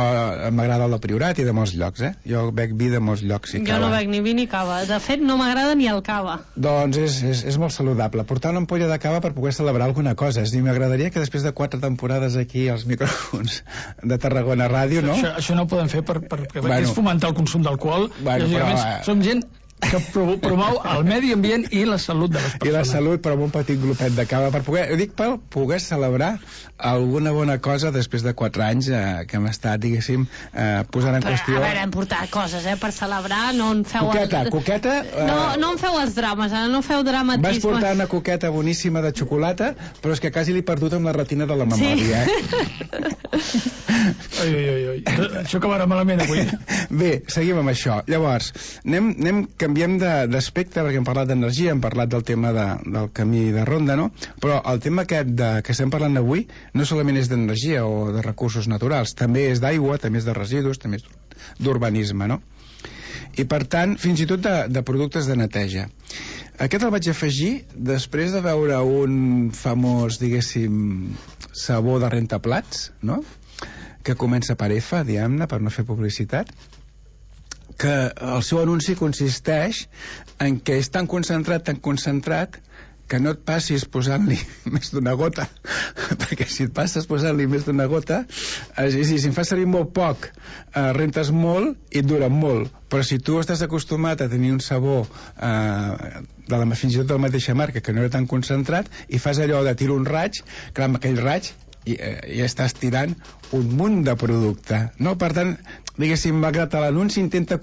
m'agrada el del Priorat i de molts llocs, jo bec vi de molts llocs i cava. Jo no bec ni vi ni cava, de fet no m'agrada ni el cava. Doncs és molt saludable, portar una ampolla de cava per poder celebrar alguna cosa, és a dir, m'agradaria que després de 4 temporades aquí als micròfons de Tarragona Ràdio, no? Això no ho podem fer perquè és fomentar el consum d'alcohol, som gent que promou el medi ambient i la salut de les persones. I la salut, però amb un petit glopet de cava per poder celebrar alguna bona cosa després de 4 anys que hem estat, diguéssim, posant en qüestió. A veure, hem portat coses, per celebrar, no en feu... Coqueta... No en feu els drames, no feu dramatisme. Vas portar una coqueta boníssima de xocolata, però és que quasi l'he perdut amb la retina de la memòria, Oi. Això acabarà malament avui. Bé, seguim amb això. Llavors, canviem d'aspecte, perquè hem parlat d'energia, hem parlat del tema del camí de ronda, no? Però el tema aquest que estem parlant avui no solament és d'energia o de recursos naturals, també és d'aigua, també és de residus, també és d'urbanisme, no? I per tant, fins i tot de productes de neteja. Aquest el vaig afegir després de veure un famós, diguéssim, sabó de rentaplats, no?, que comença per F, diguem-ne, per no fer publicitat, que el seu anunci consisteix en que és tan concentrat que no et passis posant-li més d'una gota, perquè si et passes posant-li més d'una gota, si en fas servir molt poc, rentes molt i et dura molt, però si tu estàs acostumat a tenir un sabó fins i tot de la mateixa marca que no era tan concentrat i fas allò de tirar un raig, clar, amb aquell raig i estàs tirant un munt de producte, no? Per tant, diguéssim, malgrat l'anunci intenta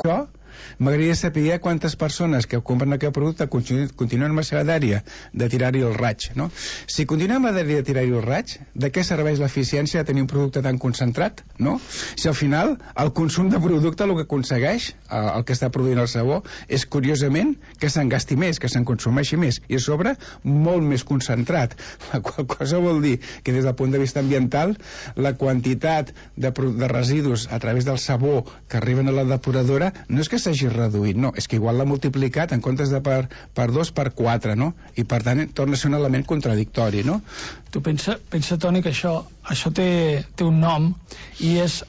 m'agradaria saber quantes persones que compren aquest producte continuen amb la seva dèria de tirar-hi el raig, no? Si continuem amb la dèria de tirar-hi el raig, de què serveix l'eficiència de tenir un producte tan concentrat, no? Si al final el consum de producte el que aconsegueix, el que està produint el sabó, és curiosament que se'n gasti més, que se'n consumeixi més, i a sobre molt més concentrat, la qual cosa vol dir que des del punt de vista ambiental la quantitat de residus a través del sabó que arriben a la depuradora no és que s'hagi reduït, no, és que igual l'ha multiplicat en comptes de per 2, per 4, no? I per tant torna a ser un element contradictori, no? Tu pensa, Toni, que això té un nom i és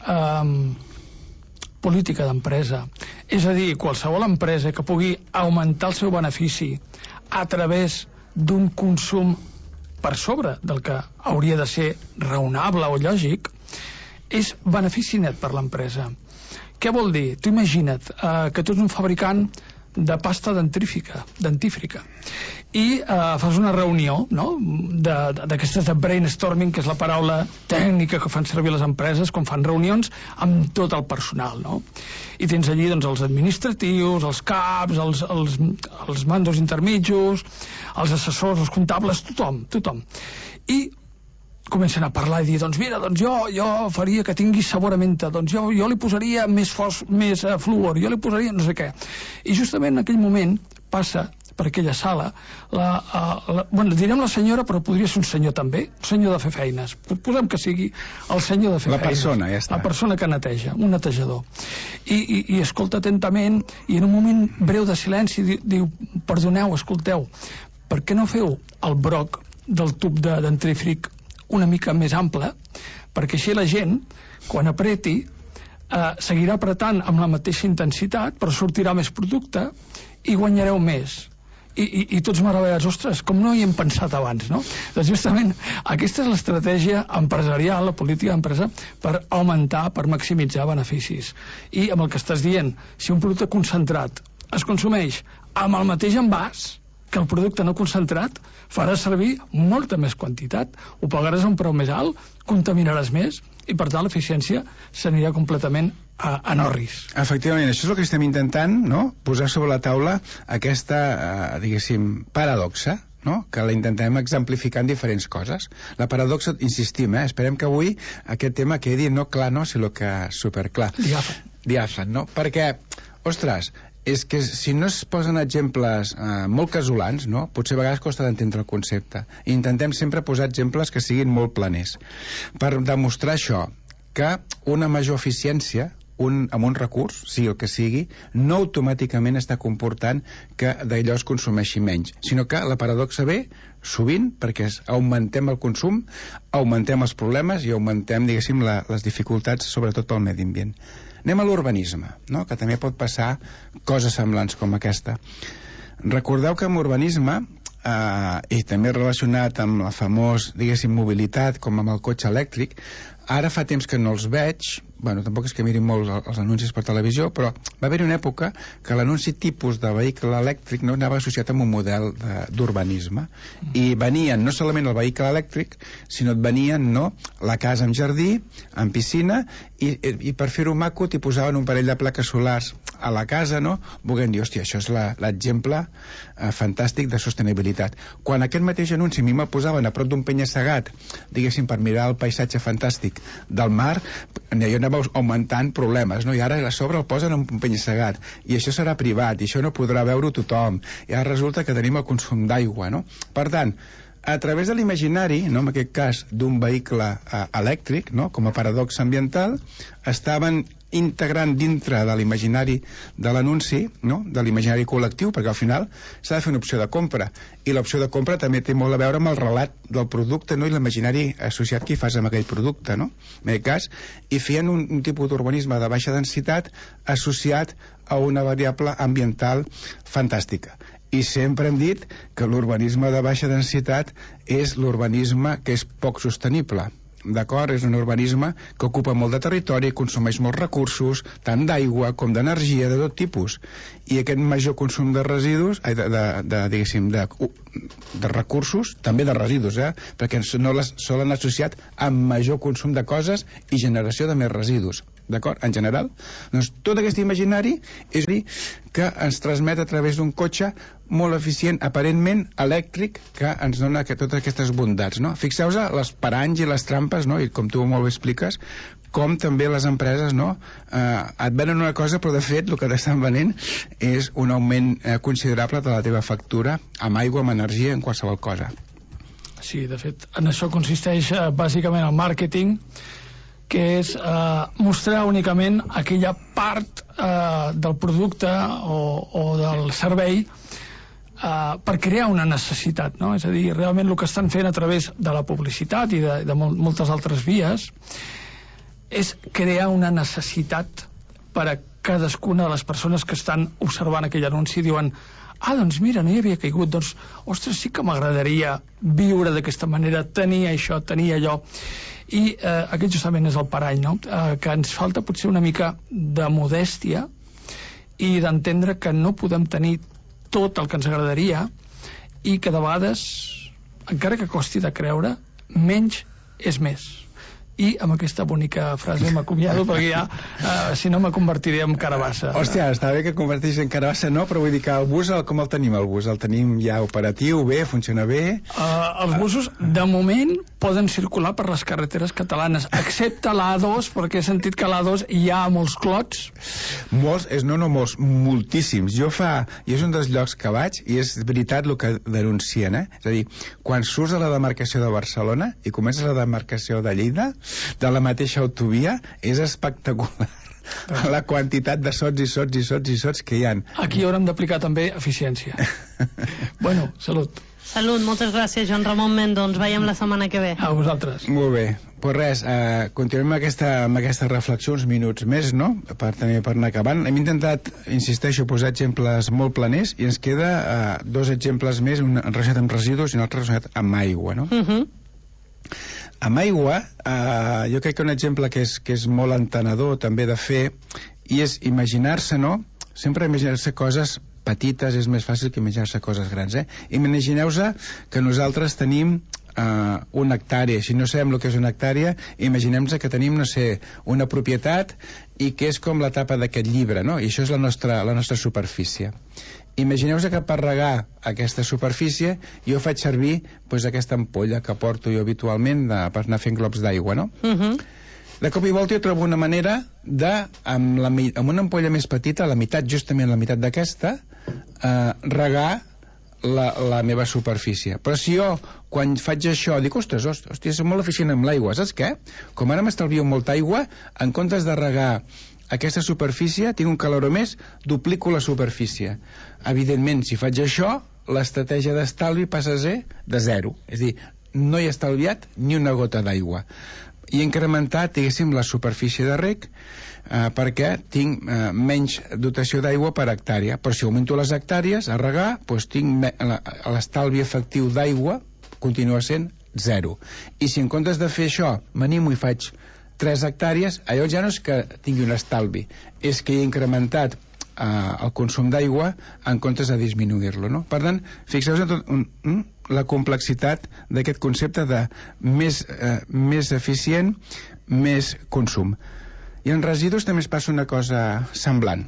política d'empresa. És a dir, qualsevol empresa que pugui augmentar el seu benefici a través d'un consum per sobre del que hauria de ser raonable o lògic, és benefici net per l'empresa. Què vol dir? Tu imagina't que tu ets un fabricant de pasta dentífrica i fas una reunió, no?, d'aquestes de brainstorming, que és la paraula tècnica que fan servir les empreses quan fan reunions amb tot el personal, no? I tens allí doncs els administratius, els caps, els mandos intermitjos, els assessors, els comptables, tothom. I comencen a parlar i dir, doncs mira, doncs jo faria que tingui sabor a menta, doncs jo li posaria més fluor, jo li posaria no sé què. I justament en aquell moment passa per aquella sala, direm la senyora, però podria ser un senyor també, un senyor de fer feines. Posem que sigui el senyor de fer feines. La persona, ja està. La persona que neteja, un netejador. I escolta atentament, i en un moment breu de silenci diu, perdoneu, escolteu, per què no feu el broc del tub de dentífric una mica més ample, perquè així la gent, quan apreti, seguirà apretant amb la mateixa intensitat, però sortirà més producte i guanyareu més. I tots meravellats, ostres, com no hi hem pensat abans, no? Doncs justament aquesta és l'estratègia empresarial, la política d'empresa, per augmentar, per maximitzar beneficis. I amb el que estàs dient, si un producte concentrat es consumeix amb el mateix envàs que el producte no concentrat, farà servir molta més quantitat, ho pagaràs a un preu més alt, contaminaràs més, i per tant l'eficiència s'anirà completament a norris. Efectivament, això és el que estem intentant, no?, posar sobre la taula aquesta, diguéssim, paradoxa, no?, que la intentem exemplificar en diferents coses. La paradoxa, insistim, esperem que avui aquest tema quedi no clar, no, sinó que superclar. Diàfan, no? Perquè, ostres, és que si no es posen exemples molt casolans, no?, potser a vegades costa d'entendre el concepte. I intentem sempre posar exemples que siguin molt planers. Per demostrar això, que una major eficiència amb un recurs, sigui el que sigui, no automàticament està comportant que d'allò es consumeixi menys, sinó que la paradoxa ve sovint perquè augmentem el consum, augmentem els problemes i augmentem, diguéssim, les dificultats, sobretot pel medi ambient. Anem a l'urbanisme, no?, que també pot passar coses semblants com aquesta. Recordeu que en urbanisme, i també relacionat amb la famós, diguéssim, mobilitat, com amb el cotxe elèctric, ara fa temps que no els veig, bueno, tampoc és que mirin molt els anuncis per televisió, però va haver-hi una època que l'anunci tipus de vehicle elèctric no anava associat amb un model d'urbanisme, i venien no solament el vehicle elèctric, sinó et venien, no?, la casa amb jardí, amb piscina, i per fer-ho maco t'hi posaven un parell de plaques solars a la casa, no?, volent dir, hòstia, això és l'exemple fantàstic de sostenibilitat. Quan aquest mateix anunci a mi me'l posaven a prop d'un penya-segat, diguéssim, per mirar el paisatge fantàstic del mar, jo anava augmentant problemes, no? I ara a sobre el posen en un penya-segat, i això serà privat, i això no podrà veure-ho tothom, i ara resulta que tenim el consum d'aigua, no? Per tant, a través de l'imaginari, no, en aquest cas d'un vehicle elèctric, no, com a paradoxa ambiental, estaven integrant dintre de l'imaginari de l'anunci, no?, de l'imaginari col·lectiu, perquè al final s'ha de fer una opció de compra, i l'opció de compra també té molt a veure amb el relat del producte, no?, i l'imaginari associat que hi fas amb aquell producte, no?, en aquest cas, i feien un tipus d'urbanisme de baixa densitat associat a una variable ambiental fantàstica. I sempre hem dit que l'urbanisme de baixa densitat és l'urbanisme que és poc sostenible. D'acord? És un urbanisme que ocupa molt de territori, consumeix molts recursos, tant d'aigua com d'energia, de tot tipus. I aquest major consum de residus, diguéssim, de recursos, també de residus, perquè no les solen associat amb major consum de coses i generació de més residus. D'acord? En general, doncs tot aquest imaginari és dir que ens transmet a través d'un cotxe molt eficient, aparentment elèctric, que ens dona totes aquestes bondats, no? Fixeu-vos les paranys i les trampes, no? I com tu molt bé expliques, com també les empreses, no?, et venen una cosa, però de fet el que t'estan venent és un augment considerable de la teva factura amb aigua, amb energia, en qualsevol cosa. Sí, de fet, en això consisteix bàsicament el màrqueting, que és mostrar únicament aquella part del producte o del servei per crear una necessitat, no? És a dir, realment el que estan fent a través de la publicitat i de moltes altres vies és crear una necessitat per a cadascuna de les persones que estan observant aquell anunci, diuen: doncs mira, no hi havia caigut, doncs, ostres, sí que m'agradaria viure d'aquesta manera, tenir això, tenir allò. I aquest justament és el parany, no? Que ens falta potser una mica de modèstia i d'entendre que no podem tenir tot el que ens agradaria i que de vegades, encara que costi de creure, menys és més. I amb aquesta bonica frase m'acomiado, perquè ja, si no, me convertiré en carabassa. Hòstia, està bé que converteixis en carabassa, no? Però vull dir que el bus, com el tenim, el bus? El tenim ja operatiu, bé, funciona bé? Els busos, de moment, poden circular per les carreteres catalanes, excepte l'A2, perquè he sentit que a l'A2 hi ha molts clots. Molts, molts, moltíssims. I és un dels llocs que vaig, i és veritat el que denuncien, És a dir, quan surts a la demarcació de Barcelona i comences a la demarcació de Lleida, de la mateixa autovia, és espectacular la quantitat de sots i sots i sots i sots que hi ha. Aquí haurem d'aplicar també eficiència. Bueno, salut. Salut, moltes gràcies, Joan Ramon Mendo. Ens veiem la setmana que ve. A vosaltres. Molt bé. Pues res, continuem amb aquesta reflexió uns minuts més, no? Per anar acabant. Hem intentat, insisteixo, posar exemples molt planers i ens queda 2 exemples més, un relacionat amb residus i un altre relacionat amb aigua, no? Amb aigua, jo crec que un exemple que és molt entenedor també de fer, i és imaginar-se, no? Sempre imaginar-se coses petites és més fàcil que imaginar-se coses grans, Imagineu-vos que nosaltres tenim una hectàrea. Si no sabem el que és una hectàrea, imaginem-nos que tenim, no sé, una propietat i que és com la tapa d'aquest llibre, no? I això és la nostra superfície. Imagineu-vos que per regar aquesta superfície jo faig servir aquesta ampolla que porto jo habitualment per anar fent globs d'aigua, no? De cop i volta jo trobo una manera de, amb una ampolla més petita, justament la meitat d'aquesta, regar la meva superfície. Però si jo, quan faig això, dic, ostres, és molt eficient amb l'aigua, saps què? Com ara m'estalvio molta aigua, en comptes de regar aquesta superfície, tinc un caloró més, duplico la superfície. Evidentment, si faig això, l'estratègia d'estalvi passa a ser de 0. És a dir, no he estalviat ni una gota d'aigua. I he incrementat, diguéssim, la superfície de reg perquè tinc menys dotació d'aigua per hectàrea. Però si augmento les hectàrees a regar, tinc l'estalvi efectiu d'aigua continua sent 0. I si en comptes de fer això m'animo i faig 3 hectàrees, allò ja no és que tingui un estalvi, és que he incrementat el consum d'aigua en comptes de disminuir-lo, no? Per tant, fixeu-vos en la complexitat d'aquest concepte de més eficient, més consum. I en residus també es passa una cosa semblant.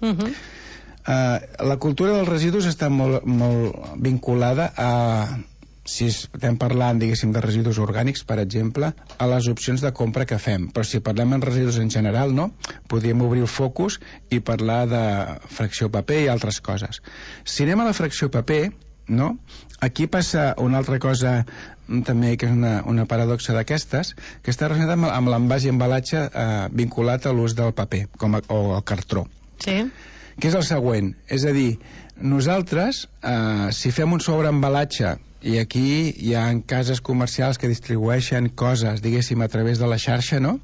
La cultura dels residus està molt vinculada a, si estem parlant, diguéssim, de residus orgànics, per exemple, a les opcions de compra que fem. Però si parlem en residus en general, no? Podríem obrir el focus i parlar de fracció paper i altres coses. Si anem a la fracció paper, no? Aquí passa una altra cosa també, que és una paradoxa d'aquestes, que està relacionada amb l'envàs i embalatge vinculat a l'ús del paper o el cartró. Sí. Que és el següent, és a dir, nosaltres, si fem un sobreembalatge, i aquí hi ha cases comercials que distribueixen coses, diguéssim, a través de la xarxa, no?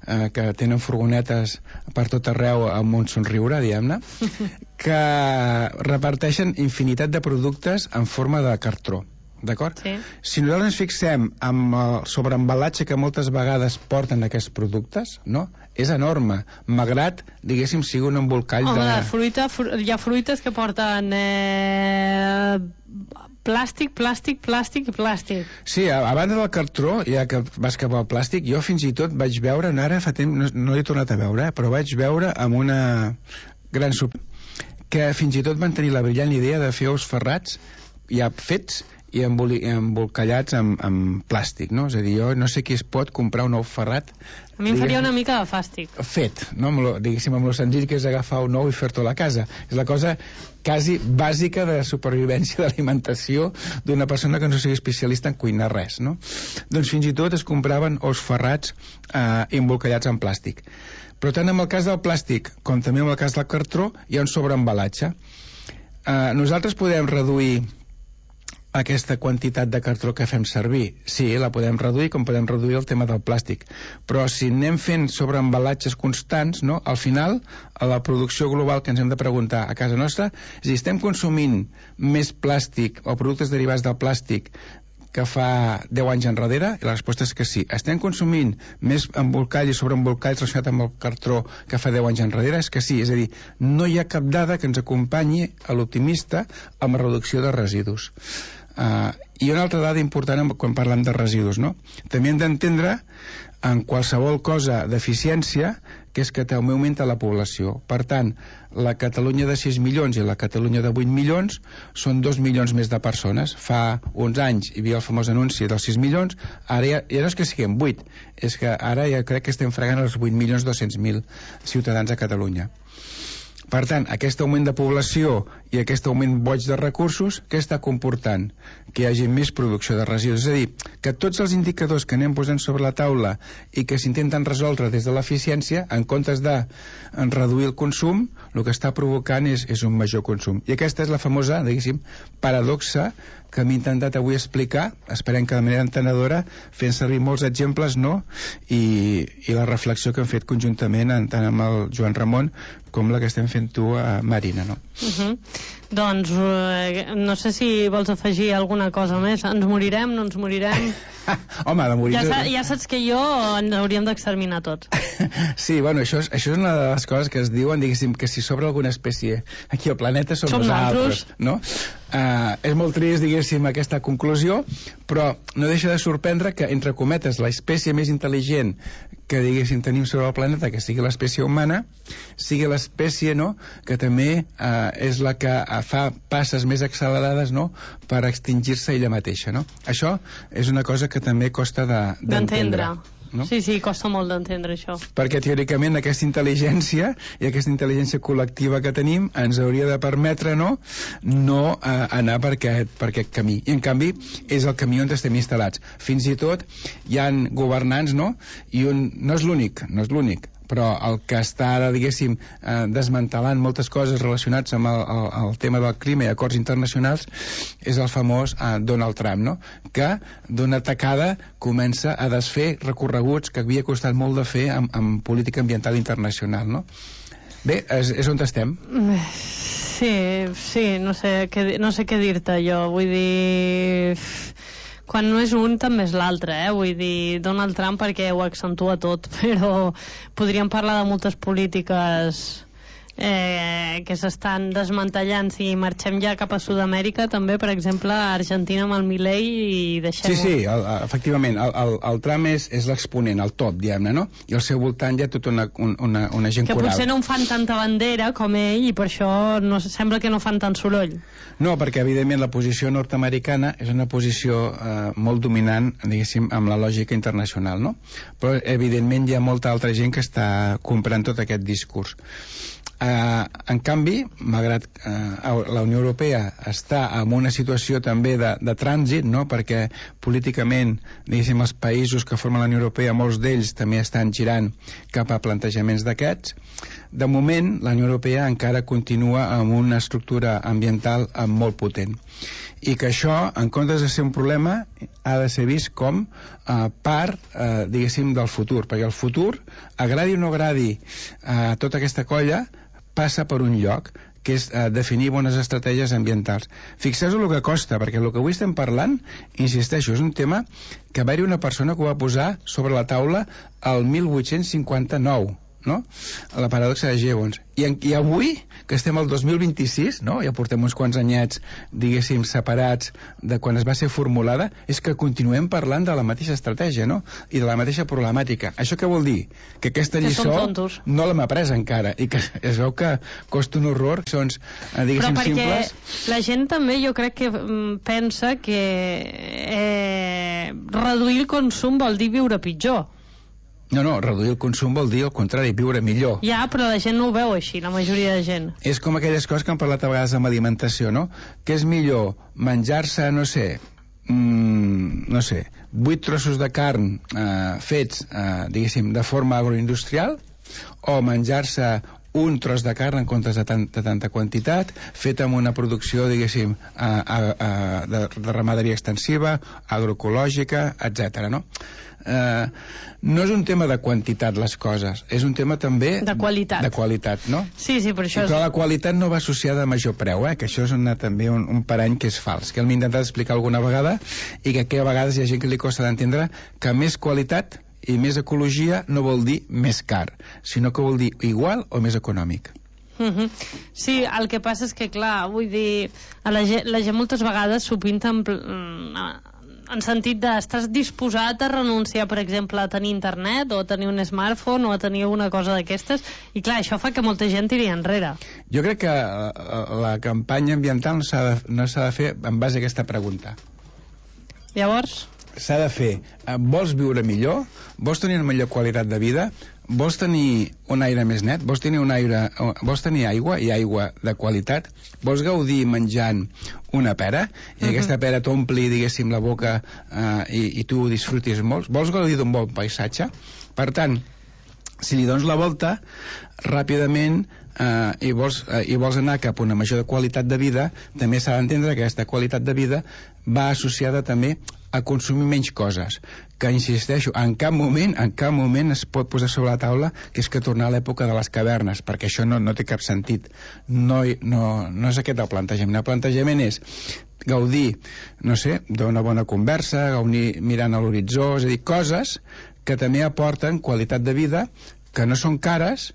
Que tenen furgonetes per tot arreu amb un somriure, diguem-ne, que reparteixen infinitat de productes en forma de cartró. D'acord? Sí. Si nosaltres ens fixem amb el sobreembalatge que moltes vegades porten aquests productes, no? És enorme, malgrat, diguéssim, sigui un embolcall de... Home, hi ha fruites que porten plàstic, plàstic, plàstic i plàstic. Sí, a banda del cartró, ja que vas cap al plàstic, jo fins i tot vaig veure, ara fa temps, no l'he tornat a veure, però vaig veure amb una gran que fins i tot van tenir la brillant idea de fer ous ferrats ja fets i embolcallats amb plàstic, no? És a dir, jo no sé qui es pot comprar un ou ferrat. A mi em faria una mica de fàstic. Fet, no? Diguéssim, amb lo senzill que és agafar un ou i fer-te a la casa. És la cosa quasi bàsica de supervivència d'alimentació d'una persona que no sigui especialista en cuinar res, no? Doncs fins i tot es compraven ous ferrats embolcallats en plàstic. Però tant en el cas del plàstic com també en el cas del cartró hi ha un sobreembalatge. Nosaltres podem reduir aquesta quantitat de cartró que fem servir. Sí, la podem reduir, com podem reduir el tema del plàstic. Però si anem fent sobreembalatges constants, no, al final, a la producció global que ens hem de preguntar a casa nostra, és a dir, estem consumint més plàstic o productes derivats del plàstic que fa 10 anys enrere? I la resposta és que sí. Estem consumint més embolcall i sobreembolcalls relacionat amb el cartró que fa 10 anys enrere? És que sí. És a dir, no hi ha cap dada que ens acompanyi a l'optimista amb la reducció de residus. I una altra dada important quan parlem de residus, no? També hem d'entendre en qualsevol cosa d'eficiència que és que també augmenta la població. Per tant, la Catalunya de 6 milions i la Catalunya de 8 milions són 2 milions més de persones. Fa uns anys hi havia el famós anunci dels 6 milions, ara ja no és que siguem 8, és que ara ja crec que estem fregant els 8.200.000 ciutadans a Catalunya. Per tant, aquest augment de població i aquest augment boig de recursos, què està comportant? Que hi hagi més producció de residus. És a dir, que tots els indicadors que anem posant sobre la taula i que s'intenten resoldre des de l'eficiència, en comptes de reduir el consum, el que està provocant és un major consum. I aquesta és la famosa, diguéssim, paradoxa que m'he intentat avui explicar, esperem que de manera entenedora, fent servir molts exemples, no? I la reflexió que hem fet conjuntament tant amb el Joan Ramon com la que estem fent tu, Marina, no? Doncs no sé si vols afegir alguna cosa més. Ens morirem, no ens morirem? Home, de morir... Ja saps que jo ens hauríem d'exterminar tots. Sí, bueno, això és una de les coses que es diuen, diguéssim, que si sobre alguna espècie aquí al planeta som nosaltres, no? És molt trist, diguéssim, aquesta conclusió, però no deixa de sorprendre que, entre cometes, l'espècie més intel·ligent que, diguéssim, tenim sobre el planeta, que sigui l'espècie humana, sigui l'espècie, no?, que també és la que fa passes més accelerades, no?, per extingir-se ella mateixa, no? Això és una cosa que també costa d'entendre. No? Sí, costa molt d'entendre això. Perquè teòricament aquesta intel·ligència i aquesta intel·ligència col·lectiva que tenim ens hauria de permetre no anar per aquest camí. I en canvi és el camí on estem instal·lats. Fins i tot hi ha governants, no? I no és l'únic, però el que està ara, diguéssim, desmantelant moltes coses relacionades amb el tema del clima i acords internacionals és el famós Donald Trump, no? Que d'una tacada comença a desfer recorreguts que havia costat molt de fer amb política ambiental internacional, no? Bé, és on estem. Sí, no sé què dir-te jo, vull dir... Quan no és un, també és l'altre, Vull dir, Donald Trump perquè ho accentua tot, però podríem parlar de moltes polítiques que s'estan desmantellant. Si marxem ja cap a Sud-amèrica, també, per exemple, a Argentina amb el Milei i deixem-ho. Sí, efectivament, el Trump és l'exponent, el top, diguem-ne, no? I al seu voltant hi ha tota una gent que coral. Que potser no en fan tanta bandera com ell i per això sembla que no fan tant soroll. No, perquè evidentment la posició nord-americana és una posició molt dominant, diguéssim, amb la lògica internacional, no? Però evidentment hi ha molta altra gent que està comprant tot aquest discurs. En canvi, malgrat la Unió Europea està en una situació també de trànsit, no? Perquè políticament, diguéssim, els països que formen la Unió Europea, molts d'ells també estan girant cap a plantejaments d'aquests. De moment, la Unió Europea encara continua amb una estructura ambiental molt potent. I que això, en comptes de ser un problema, ha de ser vist com part, diguéssim, del futur. Perquè el futur, agradi o no agradi tota aquesta colla, passa per un lloc, que és definir bones estratègies ambientals. Fixeu-vos el que costa, perquè el que avui estem parlant, insisteixo, és un tema que va haver una persona que ho va posar sobre la taula el 1859, no? La paradoxa de Jevons. I avui, que estem al 2026, no? Ja portem uns quants anyets, diguéssim, separats de quan es va ser formulada, és que continuem parlant de la mateixa estratègia, no? I de la mateixa problemàtica. Això què vol dir? Que aquesta lliçó no l'hem après encara, i que es veu que costa un horror, són, diguéssim, simples. Però perquè la gent també, jo crec que pensa que reduir el consum vol dir viure pitjor. No, reduir el consum vol dir, al contrari, viure millor. Ja, però la gent no ho veu així, la majoria de gent. És com aquelles coses que hem parlat a vegades amb alimentació, no? Que és millor menjar-se, no sé, 8 trossos de carn fets, diguéssim, de forma agroindustrial, o menjar-se un tros de carn en comptes de tanta quantitat, fet amb una producció, diguéssim, de ramaderia extensiva, agroecològica, etc. No? No és un tema de quantitat les coses, és un tema també de qualitat, no? Sí, per això però la qualitat no va associada a major preu, que això és també un parany que és fals, que hem intentat explicar alguna vegada i que a vegades hi ha gent que li costa d'entendre que més qualitat i més ecologia no vol dir més car, sinó que vol dir igual o més econòmic. Sí, el que passa és que, clar, vull dir, la gent moltes vegades s'ho pinta en sentit estàs disposat a renunciar, per exemple, a tenir internet o a tenir un smartphone o a tenir una cosa d'aquestes, i clar, això fa que molta gent tiri enrere. Jo crec que la campanya ambiental no s'ha de fer en base a aquesta pregunta. Llavors? S'ha de fer, vols viure millor? Vols tenir una millor qualitat de vida? Vols tenir un aire més net? Vols tenir aigua i aigua de qualitat? Vols gaudir menjant una pera i aquesta pera t'ompli, diguéssim, la boca i tu ho disfrutis molt? Vols gaudir d'un bon paisatge? Per tant, si li dones la volta ràpidament i vols anar cap a una major qualitat de vida, també s'ha d'entendre que aquesta qualitat de vida va associada també a consumir menys coses, que insisteixo, en cap moment es pot posar sobre la taula que és que tornar a l'època de les cavernes, perquè això no té cap sentit. No és aquest el plantejament. El plantejament és gaudir, no sé, d'una bona conversa, gaudir mirant a l'horitzó, és a dir, coses que també aporten qualitat de vida, que no són cares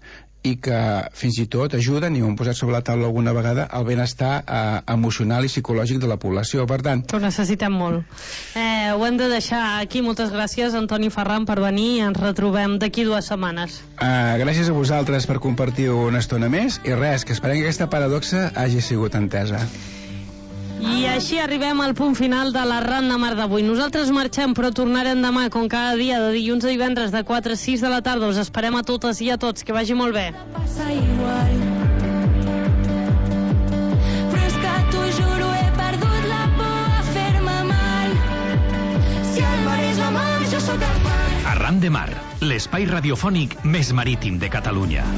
i que fins i tot ajuden, i ho hem posat sobre la taula alguna vegada, al benestar emocional i psicològic de la població. Per tant, ho necessitem molt. Ho hem de deixar aquí. Moltes gràcies, Antoni Ferran, per venir, i ens retrobem d'aquí 2 setmanes. Gràcies a vosaltres per compartir una estona més, i res, que esperem que aquesta paradoxa hagi sigut entesa. I així arribem al punt final de la Ran de Mar d'avui. Nosaltres marxem, però tornarem demà, com cada dia, de dilluns a divendres, de 4 a 6 de la tarda. Us esperem a totes i a tots. Que vagi molt bé. Passa igual. Però és que t'ho juro, he perdut la por a fer-me mal. Si el mar és la mar, jo sóc el mar. Arran de Mar, l'espai radiofònic més marítim de Catalunya.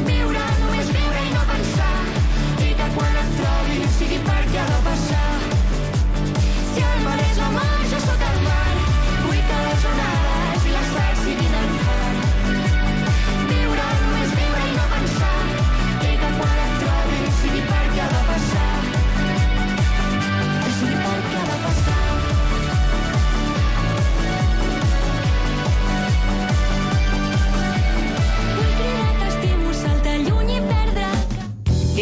Viure, només viure i no pensar. I que quan et trobi sigui perquè ha de passar. Si el mar és la mar, jo sóc el mar. Vull que les onades i les sals siguin en far. Viure, només viure i no pensar. I que quan et trobi sigui perquè ha de passar. Sigui perquè ha de passar. Vull cridar t'estimo, saltar lluny i perdre.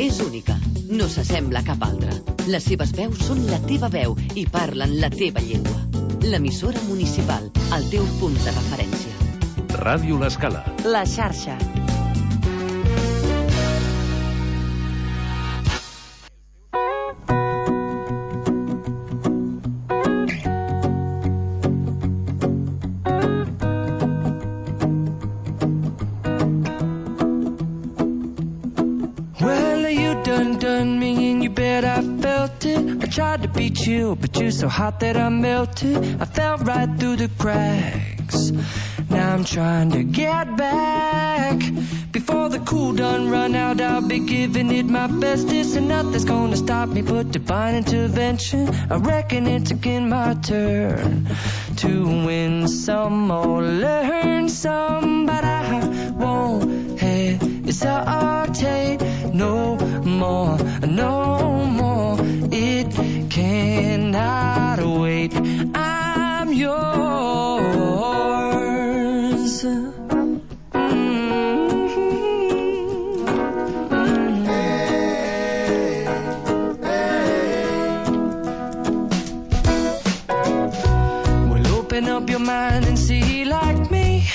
És única, no s'assembla a cap altra. Les seves veus són la teva veu i parlen la teva llengua. L'emissora municipal, el teu punt de referència. Ràdio L'Escala. La xarxa. Done me and you bet I felt it. I tried to beat you, but you're so hot that I melted. I fell right through the cracks. Now I'm trying to get back. Before the cool done run out, I'll be giving it my best. This and nothing's gonna stop me but divine intervention. I reckon it's again my turn to win some or learn some, but I won't hesitate no more, no more. It cannot wait. I'm yours. Well, open up your mind and see like me.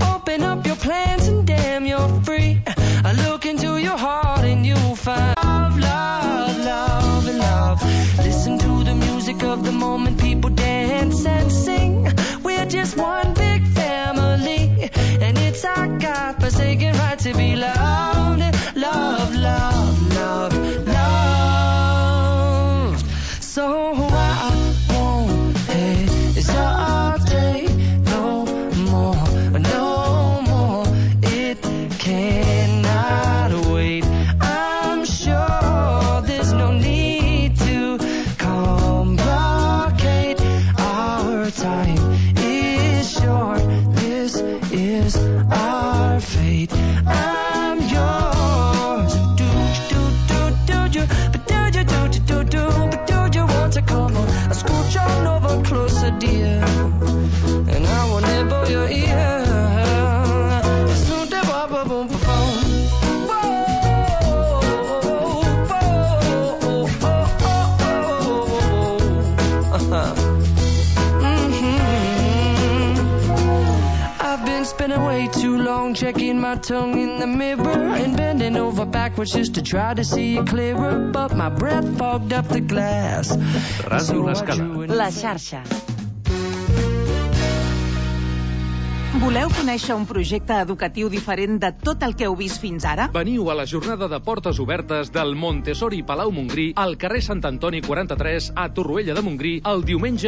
Open up your plans and damn, you're free. I look into your heart and you'll find love, love, love, and love. Listen to the music of the moment, people dance and sing. We're just one big family, and it's our God-forsaken right to be loved, love, love, love, love. So I won't hesitate Spending way too long checking my tongue in the mirror and bending over backwards just to try to see it clearer, but my breath fogged up the glass. Ràdio L'Escala. La xarxa. Voleu conèixer un projecte educatiu diferent de tot el que heu vist fins ara? Veniu a la jornada de portes obertes del Montessori Palau Montgrí al carrer Sant Antoni 43 a Torroella de Montgrí el diumenge